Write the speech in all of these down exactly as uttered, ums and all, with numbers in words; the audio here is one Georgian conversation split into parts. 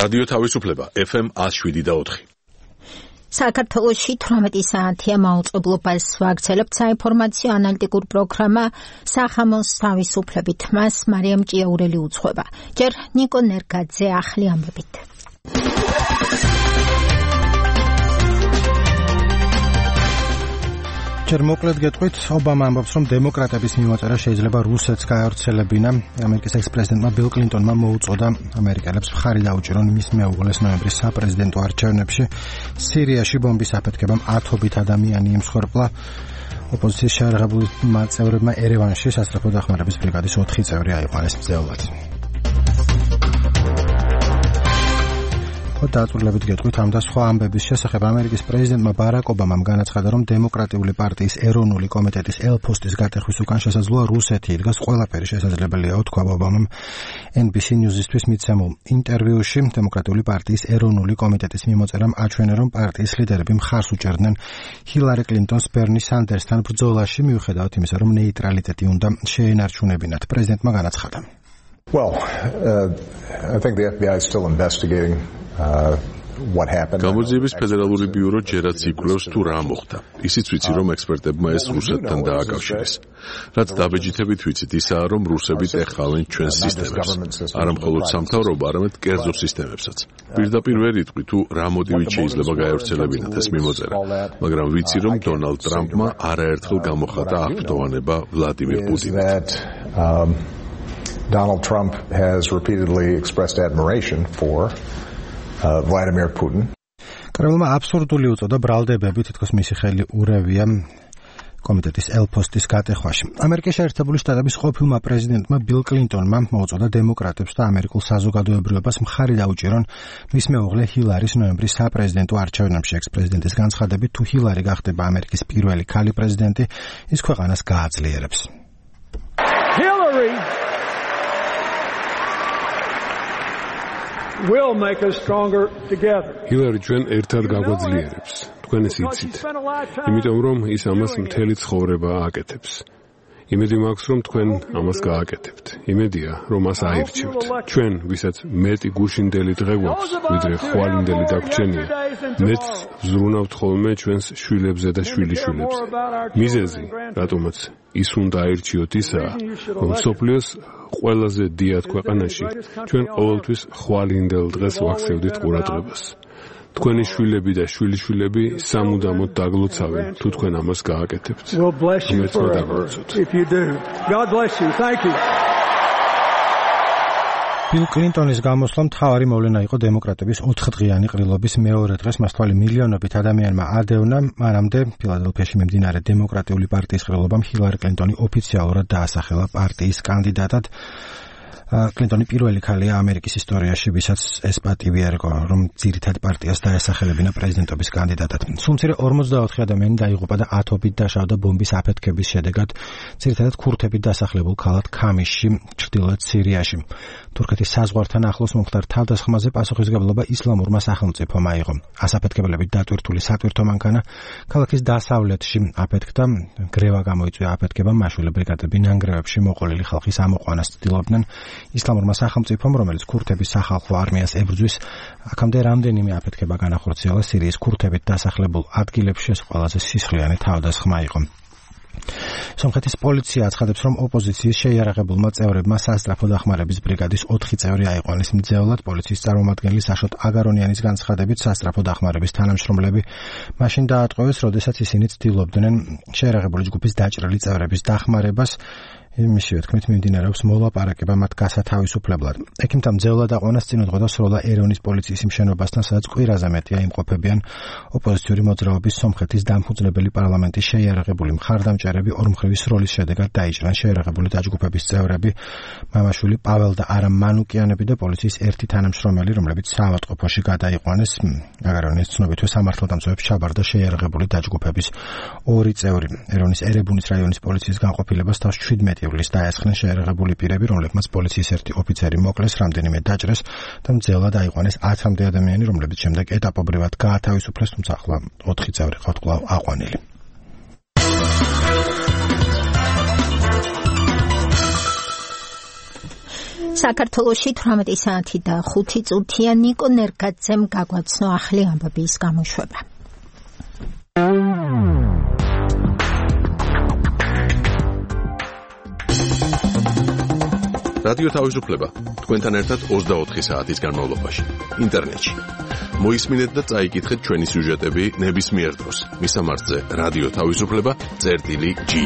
რადიო თავისუფლება ეფ ემ ათს შვიდი და ოთხი. საქართველოში თვრამეტი საათია მაუწყებლობას ვაგრძელებთ საინფორმაციო ანალიტიკურ პროგრამა სახამოს თავისუფლებით. მას მარიამ ჭიაურელი უძღვება. ჯერ ნიკო ნერგაძე ახლი ამბებით. ჯერ მოკლედ გეტყვით, ობამა ამბობს, რომ დემოკრატების მიმოწერა შეიძლება რუსეთს გაავრცელებინა. ამერიკის ექს-პრეზიდენტმა ბილ კლინტონმა მოუწოდა ამერიკელებს მხარი დაუჭირონ მის მეუღლეს ნოემბრის საპრეზიდენტო არჩევნებში. სირიაში ბომბის აფეთქებამ ათობით ადამიანი იმსხვერპლა. ოპოზიციის შეიარაღებული წევრებმა ერევანში სასწრაფო დახმარების ბრიგადის ოთხი წევრი აიყვანეს მძევლად. დაწვრილებით გეტყვით ამ და სხვა ამბების შესახებ. ამერიკის პრეზიდენტმა ბარაკ ობამამ განაცხადა, რომ დემოკრატიული პარტიის ეროვნული კომიტეტის ელ-ფოსტის გატეხვის უკან შესაძლოა რუსეთი იდგას. ყველაფერი შესაძლებელია, თქვა ობამამ ენ ბი სი News-ისთვის მიცემულ ინტერვიუში. დემოკრატიული პარტიის ეროვნული კომიტეტის მიმოწერამ აჩვენა, რომ პარტიის ლიდერები მხარს უჭერდნენ ჰილარი კლინტონს ბერნი სანდერსთან ბრძოლაში, მიუხედავად იმისა, რომ ნეიტრალიტეტი უნდა შეენარჩუნებინათ. პრეზიდენტმა განაცხადა. Well, uh, I think the ეფ ბი აი is still investigating Uh, what happened. გამოძიების ფედერალური ბიურო ჯერაც იკვლევს თუ რა მოხდა. ისიც ვიცი, რომ ექსპერტებმა ეს რუსეთთან დააკავშირეს. რაც დაბეჯითებით ვიცით, ისაა, რომ რუსები ეხავენ ჩვენს სისტემებს. არა მხოლოდ სამთავრობო, არამედ კერძო სისტემებსაც. პირდაპირ ვერ იტყვი თუ რა მოტივით შეიძლება გაევრცელებინათ ეს მიმოწერა, მაგრამ ვიცი, რომ დონალდ ტრამპმა არაერთხელ გამოხატა აღფრთოვანება ვლადიმირ პუტინთან. Donald Trump has repeatedly expressed admiration for Uh, Vladimir Putin. კრემლმა აბსურდული უწოდა ბრალდებები, თითქოს მისი ხელი ურევია კომიტეტის ელ-ფოსტის გატეხვაში. ამერიკის შეერთებული შტატების ყოფილმა პრეზიდენტმა ბილ კლინტონმა მოუწოდა დემოკრატებს და ამერიკულ საზოგადოებრივებას მხარი დაუჭირონ მის მეუღლე ჰილარის ნოემბრის საპრეზიდენტო არჩევნებში. ექს-პრეზიდენტის განცხადებით, თუ ჰილარი გახდება ამერიკის პირველი ქალი პრეზიდენტი, ის ქვეყანას გააძლიერებს. Hillary will make us stronger together. ჰილარი ჩვენ ერთად გაგვაძლიერებს. თქვენ ეს იცით. იმიტომ რომ ის ამას მთელი ცხოვრება აკეთებს. იმედი მაქვს რომ თქვენ ამას გააკეთებთ. იმედია რომ მას აირჩევთ. ჩვენ ვისაც მეტი გუშინდელი დღე გვაქვს, ვიდრე ხვალინდელი დაგვრჩენია. მეც ვზრუნავთ ხოლმე ჩვენს შვილებზე და შვილიშვილებზე. მიზეზი, რატომაც ის უნდა აირჩიოთ ისაა, რომ სოფლიოს ყველაზე დიად ქვეყანაში ჩვენ ყოველთვის ხვალინდელ დღეს ვაქცევდით ყურადღებას. თქვენი შვილები და შვილიშვილები სამუდამოდ დაგლოცავენ თუ თქვენ ამას გააკეთებთ. ბილ კლინტონის გამოსვლა მთავარი მოვლენა იყო დემოკრატების ოთხდღიანი ყრილობის მეორე დღეს. მას თვალი მილიონობით ადამიანმა ადევნა. მანამდე ფილადელფიაში მიმდინარე დემოკრატიული პარტიის ყრილობამ ჰილარი კლინტონი ოფიციალურად დაასახელა პარტიის კანდიდატად. კლინტონი პირველი ქალია ამერიკის ისტორიაში, ვისაც ეს პატივი ერგო, რომ ძირითად პარტიას დაესახელებინა პრეზიდენტობის კანდიდატად. სულ ორმოცდაოთხი ადამიანი დაიღუპა და ათობით დაშავდა ბომბის აფეთქების შედეგად, ძირითადად ქურთებით დასახლებულ ქალაქ ქამისში, ჩრდილოეთ სირიაში. თურქეთის საზღვართან ახლოს მომხდარ თავდასხმაზე პასუხისმგებლობა ისლამურმა სახელმწიფომ აიღო. ასაფეთქებლებით დატვირთული სატვირთო მანქანა ქალაქის დასავლეთში აფეთქდა. გრევა გამოიწვია აფეთქებამ, მაშულე ბრიგადები ნანგრევებში მოყოლილი ხალხის ამოყვანას ცდილობდნენ. ისლამურმა სახელმწიფომ, რომელიც ქურთების სახალხო არმიას ებრძვის, აქამდე რამდენიმე აფეთქება განახორციელა სირიის ქურთებით დასახლებულ ადგილებში. ეს ყველაზე სისხლიანი თავდასხმა იყო. სომხეთის პოლიცია აცხადებს, რომ ოპოზიციის შეიარაღებულმა წევრებმა სასწრაფო დახმარების ბრიგადის ოთხი წევრი აიყვანეს მძევლად. პოლიციის წარმომადგენელი საშოტ აგარონიანის განცხადებით, სასწრაფო დახმარების თანამშრომლები მაშინ დაატყვევეს, როდესაც ისინი ცდილობდნენ შეიარაღებული ჯგუფის დაჭრილი წევრების დახმარებას. მისივე თქმით მიმდინარეობს მოლაპარაკება მათ გასათავისუფლებლად. ექიმთა მძევლად აყვანას წინუძღვოდა სროლა ერევნის პოლიციის მშენობასთან, სადაც კვირაზე მეტია იმყოფებიან ოპოზიციური მოძრაობის სომხეთის დამფუძნებელი პარლამენტის შეიარაღებული მხარდამჭერები. ორმხრივი სროლის შედეგად დაიჭრან შეიარაღებული დაჯგუფების წევრები, მამაშვილი პაվել და არამ მანუკიანები და პოლიციის ერთი თანამშრომელი, რომლებიც საავადმყოფოში გადაიყვანეს. აგარონის ცნობითვე სამართალდამცავებს ჩაბარდა შეიარაღებული დაჯგუფების ორი წევრი. ერევნის ერებუნის რაიონის პოლიციის განყოფილებას თავს შვიდმეტი ივლისს დაესხნენ შეიარაღებული პირები, რომლებმაც პოლიციის ერთი ოფიცერი მოკლეს, რამდენიმე დაჭრეს და მძევლად აიყვანეს ათამდე ადამიანი, რომლებიც შემდეგ ეტაპობრივად გაათავისუფლეს, თუმცა ახლა ოთხი წევრი ყავთ კვლავ აყვანილი. საქართველოში თვრამეტი საათი და ხუთი წუთია. ნიკო ნერგაძემ გაგვაცნო ახლი ამბების გამოშვება. რადიო თავისუფლება თქვენთან ერთად ოცდაოთხი საათის განმავლობაში ინტერნეტში. მოისმინეთ და წაიკითხეთ ჩვენი სიუჟეტები ნებისმიერ დროს. მისამართზე რადიო თავისუფლება წერტილი ჯი.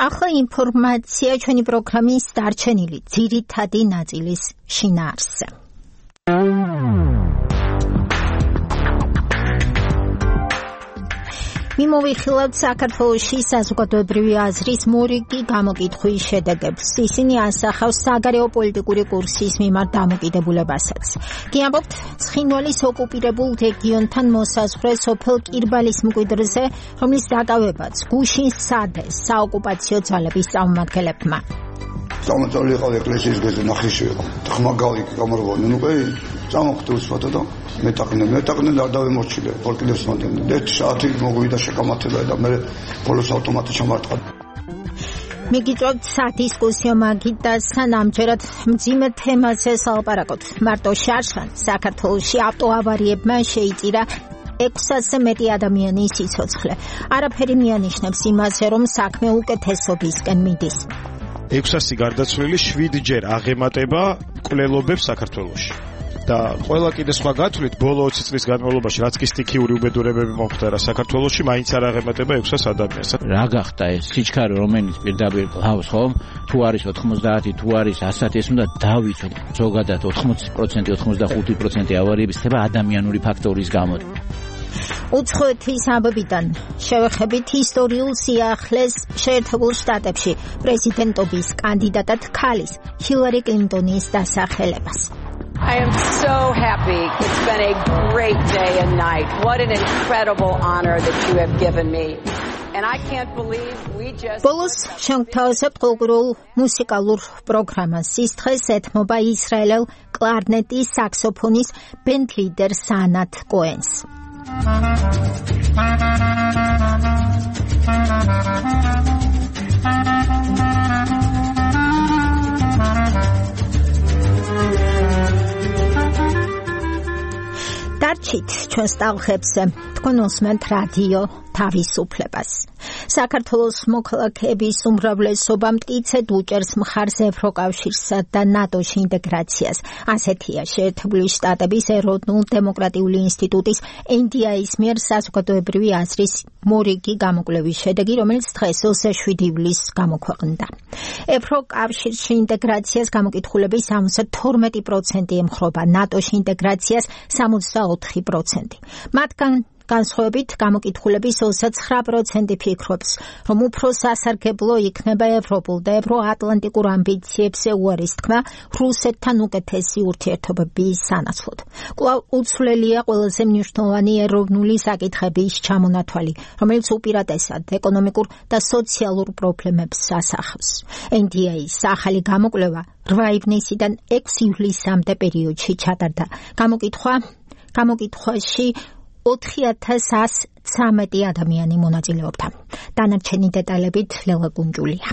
ახლა ინფორმაცია ჩვენი პროგრამის დარჩენილი ძირითადი ნაწილის შინაარსზე. მიმოვიხილავთ საქართველოში საზოგადოებრივი აზრის მორიგი გამოკითხვის შედეგებს. ისინი ასახავს საგარეო პოლიტიკური კურსის მიმართ დამოკიდებულებასაც. გიამბობთ ცხინვალის ოკუპირებულ რეგიონთან მოსაზღვრე სოფელ კირბალის მკვიდრზე, რომლის დაკავებაც გუშინ სცადეს საოკუპაციო ძალების წარმომადგენლებმა. სამოწოლი იყავ ეკლესიის გეზო ნახიში იყო. ხმა გავიქი გამარბონი, ნუ კი წამოხდი უსვათა და მეტაყნე მეტაყნე და დავემორჩილე პოლკიდებს მომდენ. ერთ საათი მოგვიდა შეკამათება და მე ბოლოს ავტომატი ჩამარტყა. მიგიწევთ სადისკუსიო მაგიდასთან ამჯერად მძიმე თემაზე სალაპარაკოთ. მარტო შარშან საქართველოში ავტოავარიებმა შეიწირა ექვსასზე მეტი ადამიანის სიცოცხლე. არაფერი მიანიშნებს იმაზე, რომ საქმე უკეთესობისკენ მიდის. ექვსასი გარდაცვლილი, შვიდჯერ აღემატება მკვლელობებს საქართველოში. და ყველა კიდე სხვა გათვლით ბოლო ოცი წლის განმავლობაში რაც კი სტიქიური უბედურებები მომხდარა საქართველოში, მაინც არ აღემატება ექვსას ადამიანს. რა გახდა ეს სიჩქარე, რომელიც პირდაპირ ყავს ხომ? თუ არის ოთხმოცდაათი, თუ არის ასათი, ეს უნდა დავიცოთ. ზოგადად ოთხმოცი პროცენტი, ოცდახუთი პროცენტი ავარიების ხდება ადამიანური ფაქტორის გამო. უცხოეთის ამბებიდან შევეხებით ისტორიულ სიახლეს შეერთებულ შტატებში პრეზიდენტობის კანდიდატად ქალის ჰილარი კლინტონის დასახელებას. I am so happy. It's been a great day and night. What an incredible honor that you have given me. And I can't believe we just ბოლოს შევთავაზებთ კულტურულ მუსიკალურ პროგრამას. ის დღეს ეთმობა ისრაელელ კლარნეტის საქსოფონის ბენდ ლიდერ სანათ კოენს. დარჩით ჩვენს ტალღებზე, თქვენ უსმენთ რადიო თავისუფლებას. საქართველოს მოქალაქეების უმრავლესობა მტკიცედ უჭერს მხარს ევროკავშირსა და ნატოში ინტეგრაციას. ასეთია შეერთებული შტატების ეროვნულ-დემოკრატიული ინსტიტუტის ენ დი აის მიერ საზოგადოებრივი აზრის მორიგი გამოკვლევის შედეგი, რომელიც დღეს ოცდაშვიდი ივლისს გამოქვეყნდა. ევროკავშირში ინტეგრაციას გამოკითხულების ოცდათორმეტი პროცენტი ემხრობა, ნატოში ინტეგრაციას სამოცდაოთხი პროცენტი. მათგან განსხვავებით გამოკითხულების ოცდაცხრა პროცენტი ფიქრობს, რომ უფრო სასარგებლო იქნება ევროპულ და ევროატლანტიკურ ამბიციებზე უარის თქმა რუსეთთან უკეთესი ურთიერთობების სანაცვლოდ. კვლავ უცვლელია ყველაზე მნიშვნელოვანი ეროვნული საკითხების ჩამონათვალი, რომელიც უპირატესად ეკონომიკურ და სოციალურ პრობლემებს ასახავს. ენ დი აის ახალი გამოკვლევა რვა ივნისიდან ექვსი ივლისამდე პერიოდში ჩატარდა. გამოკითხვა გამოკითხვაში ოთხი ათას ასი ცხრამეტი ადამიანი მონაწილეობდა. დანარჩენი დეტალებით ლელა გუნჯულია.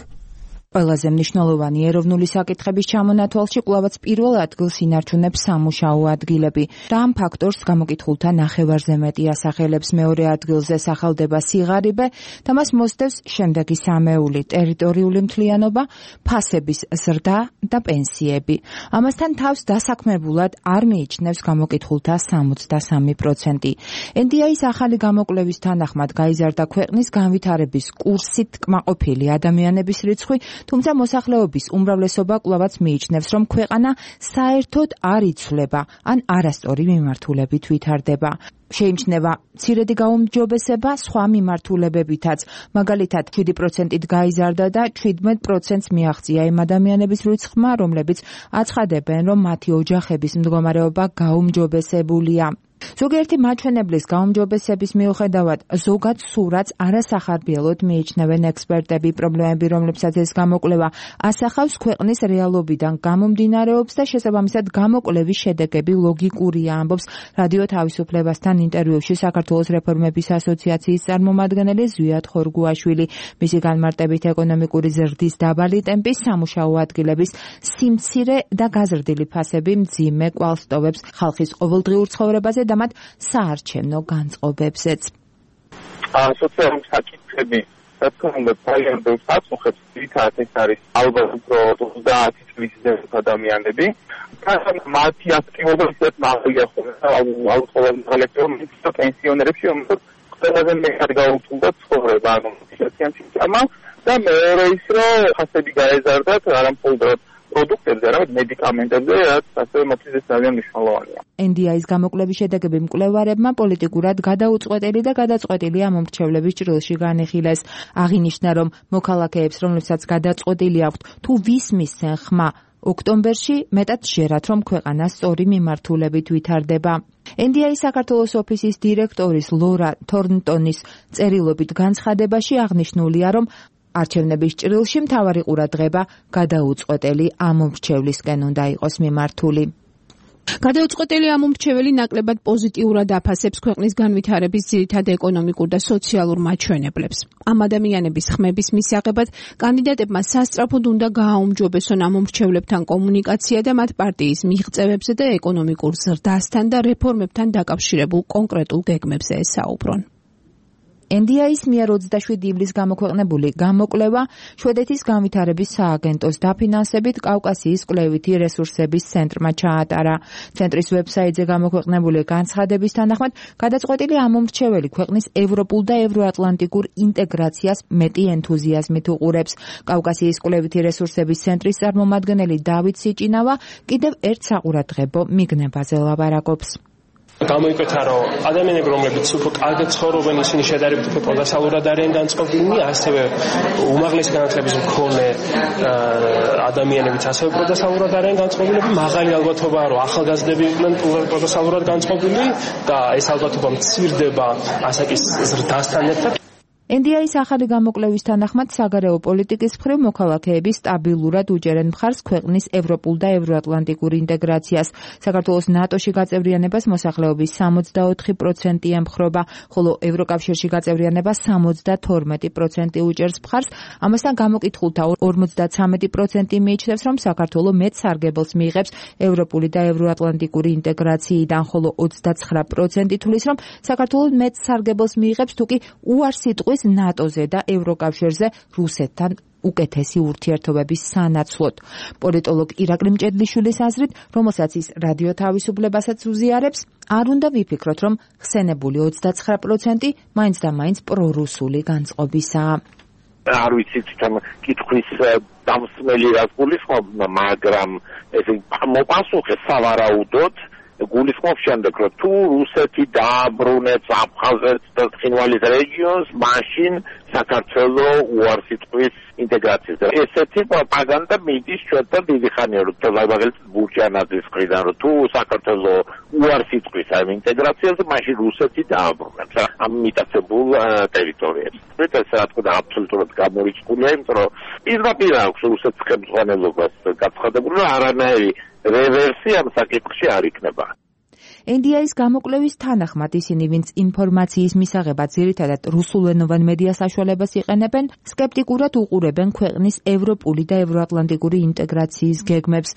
ყველაზე მნიშვნელოვანი ეროვნული საკითხების ჩამონათვალში კვლავაც პირველ ადგილს ინარჩუნებს სამუშაო ადგილები და ამ ფაქტორს გამოკითხულთა ნახევარზე მეტი ასახელებს. მეორე ადგილზე სახელდება სიღარიბე და მას მოსდევს შემდეგი სამეული: ტერიტორიული მთლიანობა, ფასების ზრდა და პენსიები. ამასთან თავს დასაქმებულად არ მიიჩნევს გამოკითხულთა სამოცდასამი პროცენტი. ენ დი აის ახალი გამოკვლევის თანახმად გაიზარდა ქვეყნის განვითარების კურსით კმაყოფილი ადამიანების რიცხვი, თუმცა მოსახლეობის უმრავლესობა კვლავაც მიიჩნევს, რომ ქვეყანა საერთოდ არ იცვლება ან არასწორი მიმართულებით ვითარდება. შეიმჩნევა მცირედი გაუმჯობესება სხვა მიმართულებებითაც, მაგალითად შვიდი პროცენტით გაიზარდა და შვიდმეტ პროცენტს მიაღწია იმ ადამიანების რიცხვმა, რომლებიც აცხადებენ, რომ მათი ოჯახების მდგომარეობა გაუმჯობესებულია. ზოგიერთი მაჩვენებლის გაუმჯობესების მიუხედავად ზოგად სურათს არასახარბიელოდ მიიჩნევენ ექსპერტები. პრობლემები, რომლებსაც ეს გამოკვლევა ასახავს, ქვეყნის რეალობიდან გამომდინარეობს და შესაბამისად გამოკვლევის შედეგები ლოგიკურია, ამბობს რადიო თავისუფლებასთან ინტერვიუში საქართველოს რეფორმების ასოციაციის წარმომადგენელი ზვიად ხორგუაშვილი. მისი განმარტებით ეკონომიკური ზრდის დაბალი ტემპი, სამუშაო ადგილების სიმცირე და გაზრდილი ფასები მძიმე კვალს ტოვებს ხალხის ყოველდღიურ ცხოვრებაზე და მათ საარჩევნო განწყობებზეც. სოციალური საკითხები, რაც უნდა ძალიან ბევრს აწუხებს, თითქოს ეს არის ალბათ უფრო ოცდაათი წლის ზემოთ ადამიანები. მათი აქტივობა ისეთ მაღალია ხოლმე, ალბათ კოლექტივში და პენსიონერებში, რომელსაც ყველაზე მეტად გაუწევდა ცხოვრება, ანუ სოციალური სისტემა და მეორე ის, რომ ხასები გაეზარდათ არამხოლოდ პროდუქტებზე, არამედ მედიკამენტებზე, რაც ასევე მათთვის ძალიან მნიშვნელოვანია. ენ დი აის გამოკვლევის შედეგები მკვლევარებმა პოლიტიკურად გადაუწყვეტელი და გადაწყვეტილი ამომრჩევლების ჭრილში განიხილეს. აღინიშნა, რომ მოქალაქეებს, რომლებსაც გადაწყვეტილი აქვთ თუ ვისმისცენ ხმა ოქტომბერში, მეტად ჟერათ, რომ ქვეყანა სწორი მიმართულებით ვითარდება. ენ დი აის საქართველოს ოფისის დირექტორის ლორა თორნტონის წერილობით განცხადებაში აღნიშნულია, რომ არჩევნების ჭრილში მთავარი ყურადღება გადაუწყვეტელი ამომრჩევლისკენ უნდა იყოს მიმართული. გადაუწყვეტელი ამომრჩეველი ნაკლებად პოზიტიურად აფასებს ქვეყნის განვითარების ძირითად ეკონომიკურ და სოციალურ მაჩვენებლებს. ამ ადამიანების ხმების მისაღებად კანდიდატებმა სასწრაფოდ უნდა გააუმჯობესონ ამომრჩევლებთან კომუნიკაცია და მათ პარტიის მიღწევებზე და ეკონომიკურ ზრდასთან და რეფორმებთან დაკავშირებულ კონკრეტულ გეგმებზე ესაუბრონ. ენ დი აის მიერ ოცდაშვიდი ივლისს გამოქვეყნებული გამოკვლევა შვედეთის განვითარების სააგენტოს დაფინანსებით კავკასიის კვლევითი რესურსების ცენტრმა ჩაატარა. ცენტრის ვებსაიტზე გამოქვეყნებული განცხადების თანახმად, გადაწყვეტილი ამომრჩეველი ქვეყნის ევროპულ და ევროატლანტიკურ ინტეგრაციას მეტი ენთუზიაზმით უყურებს. კავკასიის კვლევითი რესურსების ცენტრის წარმომადგენელი დავით სიჭინავა კიდევ ერთ საყურადღებო მიგნებაზე ლაპარაკობს. გამოიკვეთა, რომ ადამიანები, რომლებიც უფრო კარგად ცხოვრობენ, ისინი შედარებით უფრო პროდასალურად არიან განწყობილნი, ასევე უმაღლესი განათლების მქონე ადამიანებიც ასევე პროდასალურად არიან განწყობილები. მაღალი ალბათობაა, რომ ახალგაზრდები იყვნენ პროდასალურად განწყობილი და ეს ალბათობა მცირდება ასაკის ზრდასთან ერთად. ენ დი აის ახალი გამოკვლევის თანახმად, საგარეო პოლიტიკის მხრივ მოქალაქეები სტაბილურად უჭერენ მხარს ქვეყნის ევროპულ და ევროატლანტიკურ ინტეგრაციას. საქართველოს ნატოში გაწევრიანებას მოსახლეობის სამოცდაოთხი პროცენტი ემხრობა, ხოლო ევროკავშირში გაწევრიანებას სამოცდათორმეტი პროცენტი უჭერს მხარს. ამასთან გამოკითხულთა ორმოცდაცამეტი პროცენტი მიიჩნევს, რომ საქართველო მეტ სარგებელს მიიღებს ევროპული და ევროატლანტიკური ინტეგრაციიდან, ხოლო ოცდაცხრა პროცენტი თვლის, რომ საქართველო მეტ სარგებელს მიიღებს, თუკი უარს იტყვის ნატოზე და ევროკავშირზე რუსეთთან უკეთესი ურთიერთობების სანაცვლოდ. პოლიტოლოგ ირაკლი მჭედლიშვილის აზრით, რომელსაც ის რადიო თავისუფლებასაც უზიარებს, არ უნდა ვიფიქროთ, რომ ხსენებული ოცდაცხრა პროცენტი მაინც და მაინც პრორუსული განწყობისაა. არ ვიცით თან კითხვის დამსმელი რას გულისხმობ, მაგრამ ესე მოპასუხე სავარაუდოდ გულისხმობს შემდეგ, რომ თუ რუსეთი დააბრუნებს აფხაზეთს და ცხინვალის რეგიონს, მაშინ საქართველო უარს იტყვის ინტეგრაციაზე. ესეთი პროპაგანდა მიდის ჩვენთან დიდი ხანია, რომ მაგალითად ბურჯანაძის მხრიდან, რომ თუ საქართველო უარს იტყვის ამ ინტეგრაციაზე, მაშინ რუსეთი დააბრუნებს ამ მიტაცებულ ტერიტორიებს. ეს რა თქმა უნდა აბსოლუტურად გამორიცხულია, იმიტომ რომ პირდაპირ აქვს რუსეთის ხელმძღვანელობას გაცხადებული, რომ არანაირი რევერსი ამ საკითხში არ იქნება. ენ დი აის გამოკვლევის თანახმად ისინი, ვინც ინფორმაციის მისაღებად ძირითადად რუსულენოვან მედია საშუალებას იყენებენ, სკეპტიკურად უყურებენ ქვეყნის ევროპული და ევროატლანტიკური ინტეგრაციის გეგმებს.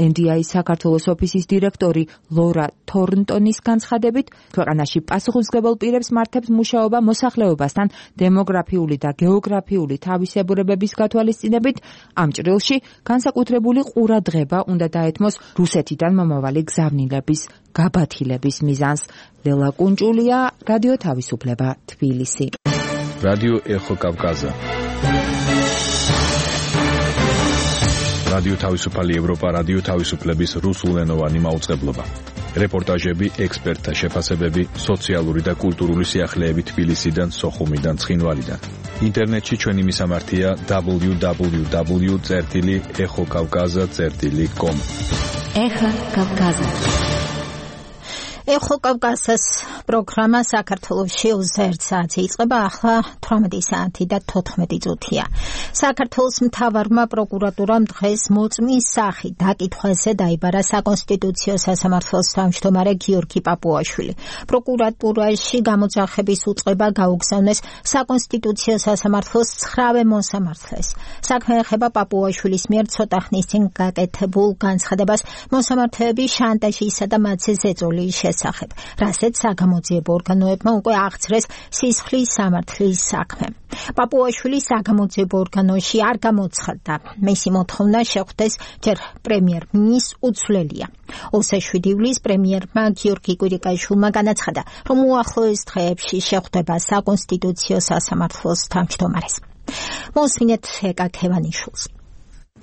ენ დი აის საქართველოს ოფისის დირექტორი ლორა თორნტონის განცხადებით, ქვეყანაში პასუხისმგებელ პირებს მართებს მუშაობა მოსახლეობასთან დემოგრაფიული და გეოგრაფიული თავისებურებების გათვალისწინებით. ამ ჭრილში განსაკუთრებული ყურადღება უნდა დაეთმოს რუსეთიდან მომავალი გზავნილების გაბათილების მიზანს. ლელა კუნჭულია, რადიო თავისუფლება, თბილისი. რადიო ეხო კავკაზა. რადიო თავისუფალი ევროპა, რადიო თავისუფლების რუსულენოვანი მაუწყებლობა. რეპორტაჟები, ექსპერტთა შეფასებები, სოციალური და კულტურული სიახლეები თბილისიდან, სოხუმიდან, ცხინვალიდან. ინტერნეტში ჩვენი მისამართია დაბლიუ დაბლიუ დაბლიუ წერტილი ეხო კავკაზა წერტილი კომ. ეხო კავკაზა. ეხო კავკასიის პროგრამა საქართველოში ოცდაერთ საათზე იწყება, ახლა თვრამეტი საათი და თოთხმეტი წუთია. საქართველოს მთავარმა პროკურატურამ დღეს მოწმის სახით დაკითხვაზე დაიბარა საკონსტიტუციო სასამართლოს თავმჯდომარე გიორგი პაპუაშვილი. პროკურატურაში გამოძახების უწყება გაუგზავნეს საკონსტიტუციო სასამართლოს ცხრამე მოსამართლეს. საქმე ეხება პაპუაშვილის მიერ ცოტა ხნის წინ გაკეთებულ განცხადებას მოსამართლეების შანტაჟისა და მათზე ზეწოლის შესახებ, რასაც საგამოძიებო ორგანოებმა უკვე აღძრეს სისხლის სამართლის საქმე. პაპუაშვილი საგამოძიებო ორგანოში არ გამოცხადდა. მისი მოთხოვნა შეხვდეს ჯერ პრემიერ-მინისტრს უცვლელია. ოცდაშვიდი ივლისს პრემიერმა გიორგი კვირიკაშვილმა განაცხადა, რომ უახლოეს დღეებში შეხვდება საკონსტიტუციო სასამართლოს თავმჯდომარეს. მოსმინეთ ეკა ქევანიშვილს.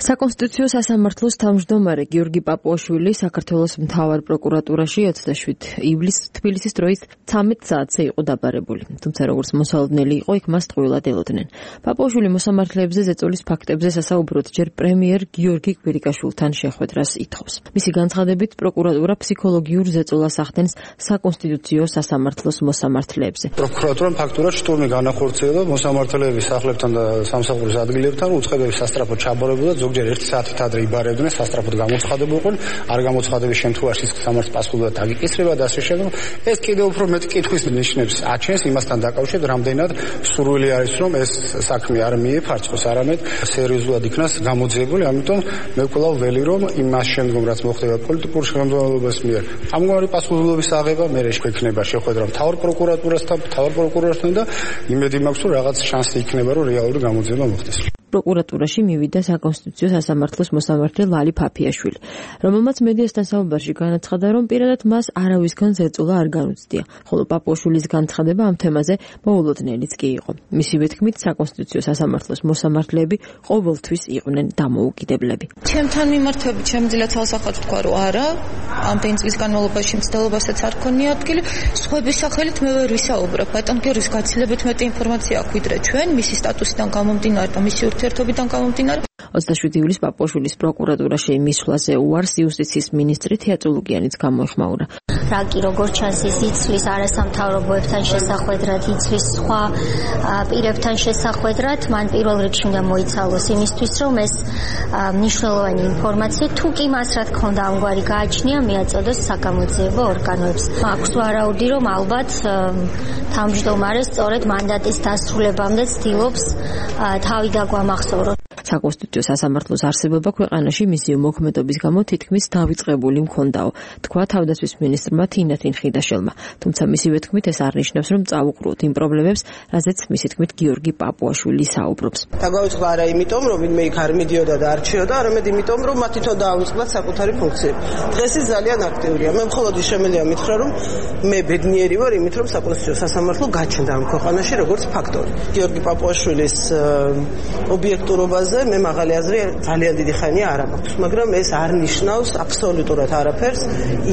საკონსტიტუციო სასამართლოს თავმჯდომარე გიორგი პაპუაშვილი საქართველოს მთავარ პროკურატურაში ოცდაშვიდი ივლისს თბილისის დროით ცამეტ საათზე იყო დაბარებული. თუმცა როგორც მოსალოდნელი იყო, იქ მას ტყუილად ელოდნენ. პაპუაშვილი მოსამართლეებზე ზეწოლის ფაქტებზე სასაუბროდ ჯერ პრემიერ გიორგი კვირიკაშვილთან შეხვედრას ითხოვს. მისი განცხადებით, პროკურატურა ფსიქოლოგიურ ზეწოლას ახდენს საკონსტიტუციო სასამართლოს მოსამართლეებზე. პროკურატურამ ფაქტურად შტურმი განახორციელა მოსამართლეების სახლებთან და სამსახურის ადგილებთან უწყებების სასტრაფო ჩაბარებულა ზოგჯერ ერთი საათით ადრე იბარებდნენ, სასტრაფოდ გამოცხადებულიყო, არ გამოცხადების შემთხვევაში სამართლის პასუხობრივად დაგიკისრება და ასე შემდეგ. ეს კიდევ უფრო მეტ კითხვის ნიშნებს აჩენს იმასთან დაკავშირებით, რამდენად სურვილი არის, რომ ეს საქმე არ მიეფარცხოს, არამედ სერიოზულად იქნას გამოძიებული. ამიტომ მე ვკვლავ ველი, რომ იმას შემდგომ რაც მოხდება პოლიტიკურ შემადგენლობას მიერ, ამგვარი პასუხობრივობის აღება მე შეექმნება შეხვედრა მთავარ პროკურატურასთან, მთავარ პროკურორთან და იმედი მაქვს, რომ რაღაც შანსი იქნება, რომ რეალური გამოძიება მოხდეს. პროკურატურაში მივიდა საკონსტიტუციო სასამართლოს მოსამართლე ლალი ფაფიაშვილი, რომელმაც მედიასთან საუბარში განაცხადა, რომ პირადად მას არავისგან ზეწოლა არ განუცდია, ხოლო პაპუაშვილის განცხადება ამ თემაზე მოულოდნელიც კი იყო. მისივე თქმით, საკონსტიტუციო სასამართლოს მოსამართლეები ყოველთვის იყვნენ დამოუკიდებლები. ჩემთან მიმართებით შემიძლია თალსახად ვთქვა, რომ არა, ამდენი წლის განმავლობაში მცდელობასაც არ ქონია ადგილი, სხვების სახელით მე ვერ ვისაუბრებ. ბატონ გიორგის გაცილებით მეტი ინფორმაცია აქვს ვიდრე ჩვენ, მისი სტატუსიდან გამომდინარე და მისი ურთიერთობიდან გამომდინარე. ოცდაშვიდი ივლისს პაპუაშვილის პროკურატურაში მისვლაზე უარს იუსტიციის მინისტრი თეა წულუკიანიც გამოეხმაურა. რაკი როგორც ჩანს ის იცვლის არასამთავრობოებთან შესახვედრად, იცვლის სხვა პირებთან შესახვედრად, მან პირველ რიგში უნდა მოიცალოს იმისთვის, რომ ეს მნიშვნელოვანი ინფორმაცია თუ კი მას რა თქმა უნდა ამგვარი გააჩნია, მიაწოდოს საგამოძიებო ორგანოებს. აქვს ვარაუდი, რომ ალბათ თავმჯდომარე სწორედ მანდატის დასრულებამდე ცდილობს თავი დაგვამახსოვროს. საკონსტიტუციო სასამართლოს არსებობა ქვეყანაში მისი მოქმედობის გამო თითქმის დავიწყებული მქონდაო, თქვა თავდაცვის მინისტრმა თინათინ ხიდაშელმა. თუმცა მისივე თქმით ეს არ ნიშნავს, რომ წავუყროთ იმ პრობლემებს, რაზეც მისი თქმით გიორგი პაპუაშვილი საუბრობს. დაგავიწყდა არა იმიტომ, რომ ვინმე იქ არ მიდიოდა და არ რჩიოდა, არამედ იმიტომ, რომ მათ თვითონ დაავიწყდათ საკუთარი ფუნქციები. დღეს ის ძალიან აქტიურია. მე მხოლოდ შემიძლია მითხრა, რომ მე ბედნიერი ვარ იმით, რომ საკონსტიტუციო სასამართლო გაჩნდა ამ ქვეყანაში როგორც ფაქტორი. გიორგი პაპუაშვილის ობიექტურობაზე მე მაღალი აზრი ძალიან დიდი ხანია არ მაქვს, მაგრამ ეს არ ნიშნავს აბსოლუტურად არაფერს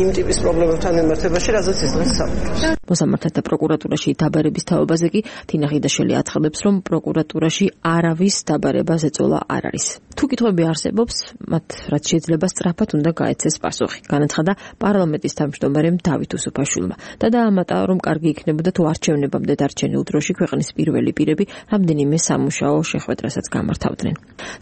იმ ტიპის პრობლემებთან მიმართებაში, რასაც ის დღეს საუბრობს. მოსამართლეთა პროკურატურაში დაბარების თაობაზე კი თინა ხიდაშელი აცხადებს, რომ პროკურატურაში არავის დაბარება ზეწოლა არ არის. თუ კითხვები არსებობს, მათ რაც შეიძლება სწრაფად უნდა გაეცეს პასუხი. განაცხადა პარლამენტის თავმჯდომარემ დავით უსუფაშვილმა და დაამატა, რომ კარგი იქნებოდა თუ არჩევნებამდე დარჩენილ დროში ქვეყნის პირველი პირები რამდენიმე სამუშაო შეხვედრასაც გამართავდნენ.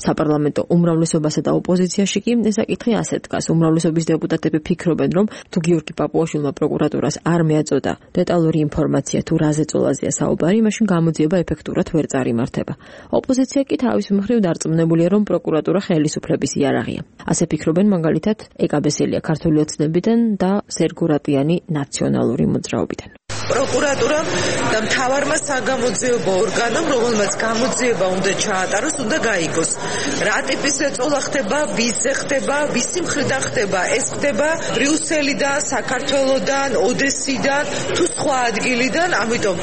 საპარლამენტო უმრავლესობასა და ოპოზიციაში კი ეს საკითხი ასე დგას. უმრავლესობის დეპუტატები ფიქრობენ, რომ თუ გიორგი პაპუაშვილმა პროკურატურას არ მიაწოდა დეტალური ინფორმაცია თუ რა ზეწოლაზეა საუბარი, მაშინ გამოძიება ეფექტურად ვერ წარიმართება. ოპოზიცია კი თავის მხრივ დარწმუნებულია, რომ პროკურატურა ხელისუფლების იარაღია. ასე ფიქრობენ მაგალითად ეკა ბესელია ქართული ოცნებიდან და სერგო რატიანი ნაციონალური მოძრაობიდან. პროკურატურამ და მთავარმა საგამოძიებო ორგანომ, რომელმაც გამოძიება უნდა ჩაატაროს, უნდა გაიგოს. რა ტიპის ზეწოლა ხდება, ვისზე ხდება, ვისი მხრიდან ხდება, ეს ხდება ბრიუსელიდან, საქართველოდან, ოდესიდან, თუ სხვა ადგილიდან, ამიტომ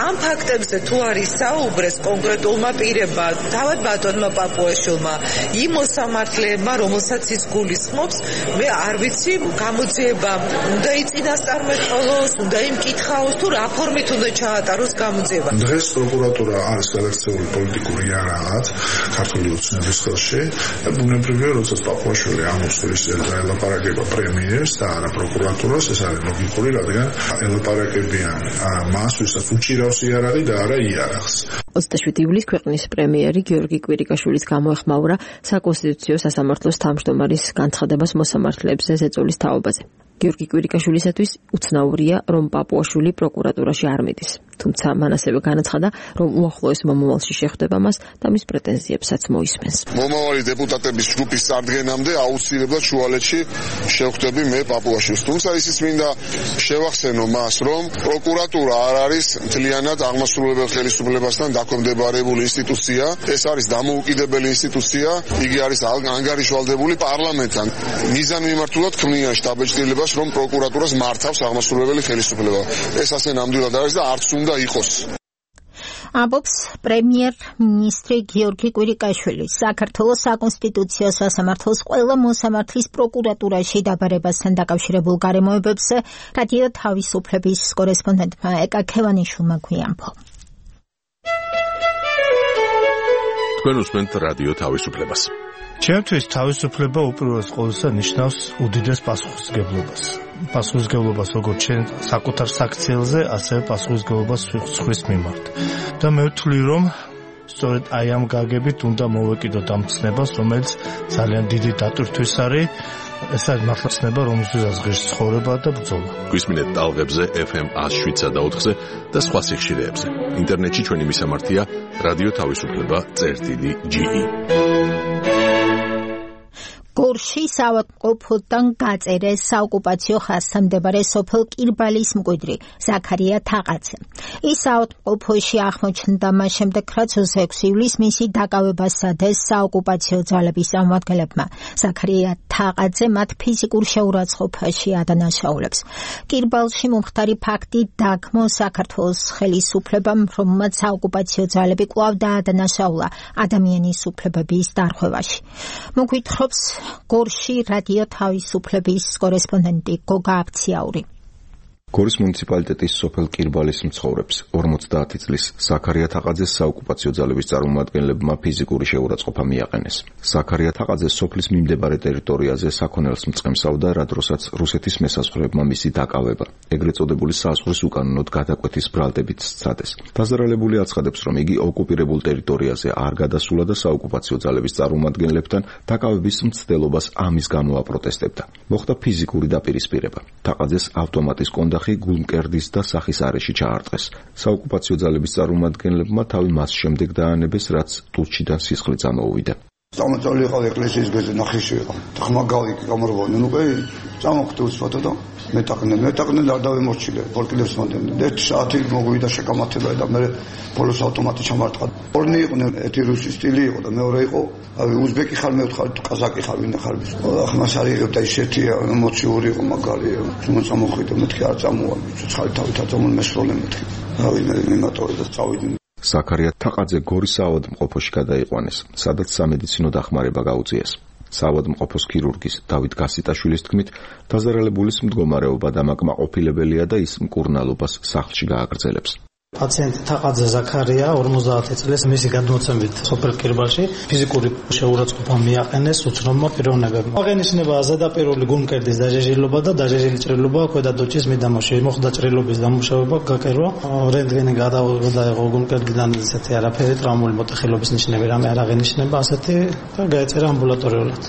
ამ ფაქტებზე თუ არის საუბრეს კონკრეტულმა პირებმა, თავად ბატონმა პაპუაშვილმა, იმ მოსამართლეებმა, რომელსაც ის გულისხმობს, მე არ ვიცი, გამოძიება უნდა იწინასწარმეტყველოს, უნდა იმკითხაოს თუ რა ფორმით უნდა ჩაატაროს გამოძიება. დღეს პროკურატურა არის გადაქცეული პოლიტიკური რაღაც ქართული ოცნების ხელში და ბუნებრივია, როდესაც პაპუაშვილი ამოსვლის ელაპარაკება პრემიერს და არა პროკურატურას, ეს არის ლოგიკური, რადგან ელაპარაკებიან მას, ვისაც უჭირავს იარაღი და არა იარაღს. ოცდაშვიდი ივლისს ქვეყნის პრემიერი გიორგი კვირიკაშვილის გამოეხმაურა საკონსტიტუციო სასამართლოს თავმჯდომარის განცხადებას მოსამართლეებზე ზეწოლის თაობაზე. გიორგი კვირიკაშვილისათვის უცნაურია, რომ პაპუაშვილი პროკურატურაში არ მიდის. თუმცა მან ასევე განაცხადა, რომ უახლოეს მომავალში შეხვდება მას და მის პრეტენზიებსაც მოისმენს. მომავალი დეპუტატების ჯგუფის წარდგენამდე აუცილებლად შუალედში შევხვდები მე პაპუაშვილს. თუმცა ისიც მინდა შევახსენო მას, რომ პროკურატურა არ არის მთლიანად აღმასრულებელ ხელისუფლებასთან დაქვემდებარებული ინსტიტუცია. ეს არის დამოუკიდებელი ინსტიტუცია. იგი არის ანგარიშვალდებული პარლამენტთან. მიზანმიმართულად ქმნიან შტაბ-ეჭდილებას, რომ პროკურატურას მართავს აღმასრულებელი ხელისუფლება. ეს ასე ნამდვილად არის და არც უნდა იყოს. ამბობს პრემიერ-მინისტრი გიორგი კვირიკაშვილი. საქართველოს საკონსტიტუციო სასამართლოს ყველა მოსამართლის პროკურატურაში დაბარებასთან დაკავშირებულ გარემოებებზე რადიო თავისუფლების კორესპონდენტმა ეკა ქევანიშვილმა გვიამბო. თქვენ უსმენთ რადიო თავისუფლებას. ჩემთვის თავისუფლება უპირველეს ყოვლისა ნიშნავს უდიდეს პასუხისმგებლობას. პასუხისმგებლობას როგორც ჩვენ საკუთარ საქციელზე, ასევე პასუხისმგებლობას სხვის მიმართ. და მე ვთვლი, რომ სწორედ აი ამ გაგებით უნდა მოვეკიდოთ ამ ცნებას, რომელიც ძალიან დიდი დატვირთვის არის. ეს არის მართლა ცნება, რომელზეც ღირს ცხოვრება და ბრძოლა. გვისმინეთ ტალღებზე ეფ ემ εκατს შვიდსა და ოთხზე და სხვა სიხშირეებზე. ინტერნეტში ჩვენი მისამართია რადიო თავისუფლება წერტილი ჯი ი. გორში საავადმყოფოდან გაწერეს საოკუპაციო ხაზთან მდებარე სოფელ კირბალის მკვიდრი ზაქარია თაყაძე. ის საავადმყოფოში აღმოჩნდა მას შემდეგ, რაც ოცდაექვსი ივლისს მისი დაკავებას სადეს საოკუპაციო ძალების წარმომადგენლებმა. ზაქარია თაყაძე მათ ფიზიკურ შეურაცხყოფაში ადანაშაულებს. კირბალში მომხდარი ფაქტი დაგმო საქართველოს ხელისუფლებამ, რომელმაც საოკუპაციო ძალები კვლავ დაადანაშაულა ადამიანის უფლებების დარღვევაში. მოგვითხრობს გორში რადიო თავისუფლების კორესპონდენტი გოგა აფციაური. გორის მუნიციპალიტეტის სოფელ კირბალის მცხოვრებს ორმოცდაათი წლის ზაქარია თაყაძეს საოკუპაციო ძალების წარმომადგენლებმა ფიზიკური შეურაცხყოფა მიაყენეს. ზაქარია თაყაძე სოფლის მიმდებარე ტერიტორიაზე საქონელს მწყემსავდა, რა დროსაც რუსეთის მესაზღვრეებმა მისი დაკავება, ეგრეთ წოდებული საზღვრის უკანონოდ გადაკვეთის ბრალდებით სცადეს. დაზარალებული აცხადებს, რომ იგი ოკუპირებულ ტერიტორიაზე არ გადასულა და საოკუპაციო ძალების წარმომადგენლებთან დაკავების მცდელობას ამის გამო აპროტესტებდა. მოხდა ფიზიკური დაპირისპირება. თაყაძეს ავტომატის კონდა გულმკერდის და სახის არეში ჩაარტყეს. საოკუპაციო ძალების წარმომადგენლებმა თავი მას შემდეგ დაანებეს, რაც ტურჩიდან სისხლი წამოუვიდა. წამოწეული იყო ეკლესიის გეზი ნახიში იყო. ხმა გავიკი გამრბოდნენ უკვე წამოხდა უსვათა და მეტაყნე მეტაყნე და დავემორჩილე პოლკილებს მომდენ. ერთი საათი მოგვიდა შეკამათება და მე პოლოს ავტომატი ჩამარტყა. ორნი იყვნენ, ერთი რუსი სტილი იყო და მეორე იყო უზბეკი ხარ, მე ვთხარ ყაზაკი ხარ, ვინ ხარ ის. ხმას არ იღებდა ისეთი ემოციური იყო მაგარი. მოწამოხვიდა მეთქი არ წამოვა. ცხალი თავით აწამონ მესროლე მეთქი. რავი მე მიმატორე და წავიდნენ. ზაქარია თაყაძე გორის საავადმყოფოში გადაიყვანეს, სადაც სამედიცინო დახმარება გაუწიეს. საავადმყოფოს ქირურგის დავით გასიტაშვილის თქმით, დაზარალებულის მდგომარეობა დამაკმაყოფილებელია და ის მკურნალობას სახლში გააგრძელებს. პაციენტი თაყაძე ზაქარია ორმოცდაათი წლის მისი გადმოცემით სოფელ კირბალში ფიზიკური შეურაცხყოფა მიაყენეს უცნობმა პიროვნებებმა. აღენიშნება ზედაპირული გულმკერდის დაჟეჟილობა და დაჟეჟილი ჭრილობა ქვედა დოჭის მიდამოში. მოხდა ჭრილობის დამუშავება, გაკერვა, რენტგენი გადაიღო გულმკერდიდან, ისეთი არაფერი, ტრაუმული მოტეხილობის ნიშნები რამე არ აღენიშნება ასეთი და გაეწერა ამბულატორიულად.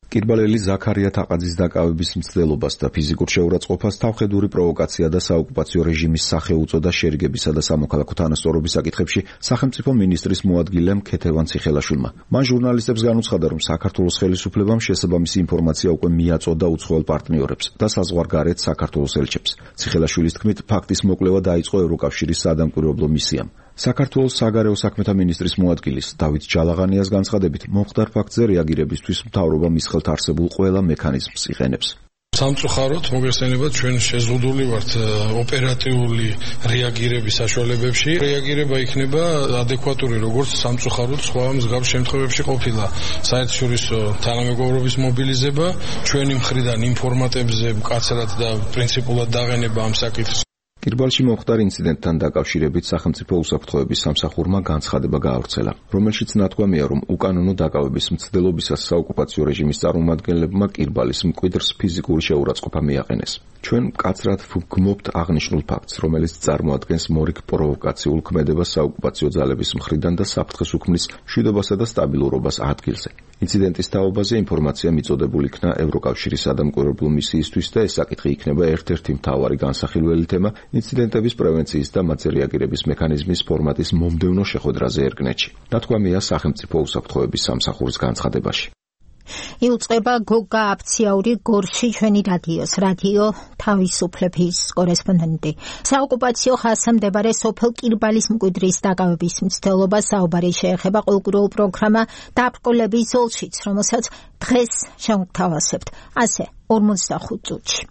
კირბალელი ზაქარია თაყაძის დაკავების მცდელობას და ფიზიკურ შეურაცხყოფას თავხედური პროვოკაცია და საოკუპაციო რეჟიმის სახეუწოდა შერიგებისა და სამოქალაქო თანასწორობის საკითხებში სახელმწიფო მინისტრის მოადგილემ ქეთევან ციხელაშვილმა. მან ჟურნალისტებს განუცხადა, რომ საქართველოს ხელისუფლებამ შესაბამისი ინფორმაცია უკვე მიაწოდა უცხოელ პარტნიორებს და საზღვარგარეთ საქართველოს ელჩებს. ციხელაშვილის თქმით, ფაქტის მოკვლევა დაიწყო ევროკავშირის საადამკვირვებლო მისიამ. საქართველოს საგარეო საქმეთა მინისტრის მოადგილის დავით ჯალაღანიას განცხადებით, მომხდარ ფაქტზე რეაგირებისთვის მთავრობა მის ხელთ არსებულ ყველა მექანიზმს იყენებს. სამწუხაროდ მოგესწრებათ, ჩვენ შეზღუდული ვართ ოპერატიული რეაგირების საშუალებებში. რეაგირება იქნება ადეკვატური, როგორც სამწუხაროდ სხვა მსგავს შემთხვევებში ყოფილა. საერთაშორისო თანამეგობრობის მობილიზება, ჩვენი მხრიდან ინფორმატებზე მკაცრად და პრინციპულად დაყენება ამ საკითხს. კირბალში მომხდარ ინციდენტთან დაკავშირებით სახელმწიფო უსაფრთხოების სამსახურმა განცხადება გაავრცელა, რომელშიც ნათქვამია, რომ უკანონო დაკავების მცდელობისას საოკუპაციო რეჟიმის წარმომადგენლებმა კირბალის მკვიდრს ფიზიკური შეურაცხყოფა მიაყენეს. ჩვენ მკაცრად ვგმობთ აღნიშნულ ფაქტს, რომელიც წარმოადგენს მორიგ პროვოკაციულ ქმედებას საოკუპაციო ძალების მხრიდან და საფრთხეს უქმნის მშვიდობასა და სტაბილურობას ადგილზე. ინციდენტის თაობაზე ინფორმაცია მიწოდებული იქნა ევროკავშირის სადამკვირვებლო მისიისთვის და ეს საკითხი იქნება ერთ-ერთი მთავარი განსახილველი თემა ინციდენტების პრევენციის და მათზე რეაგირების მექანიზმის ფორმატის მომდევნო შეხვედრაზე ერგნეთში. ნათქვამია სახელმწიფო უსაფრთხოების სამსახურის განცხადებაში. იუწყება გოგა აფციაური გორში ჩვენი რადიოს რადიო თავისუფლების კორესპონდენტი. საოკუპაციო ხაზზე მდებარე სოფელ კირბალის მკვიდრის დაკავების მცდელობა საუბარი შეეხება ყოველკვირეულ პროგრამა დაბრკოლების ზოლშიც, რომელსაც დღეს შევთავაზებთ ასე ორმოცდახუთ წუთში.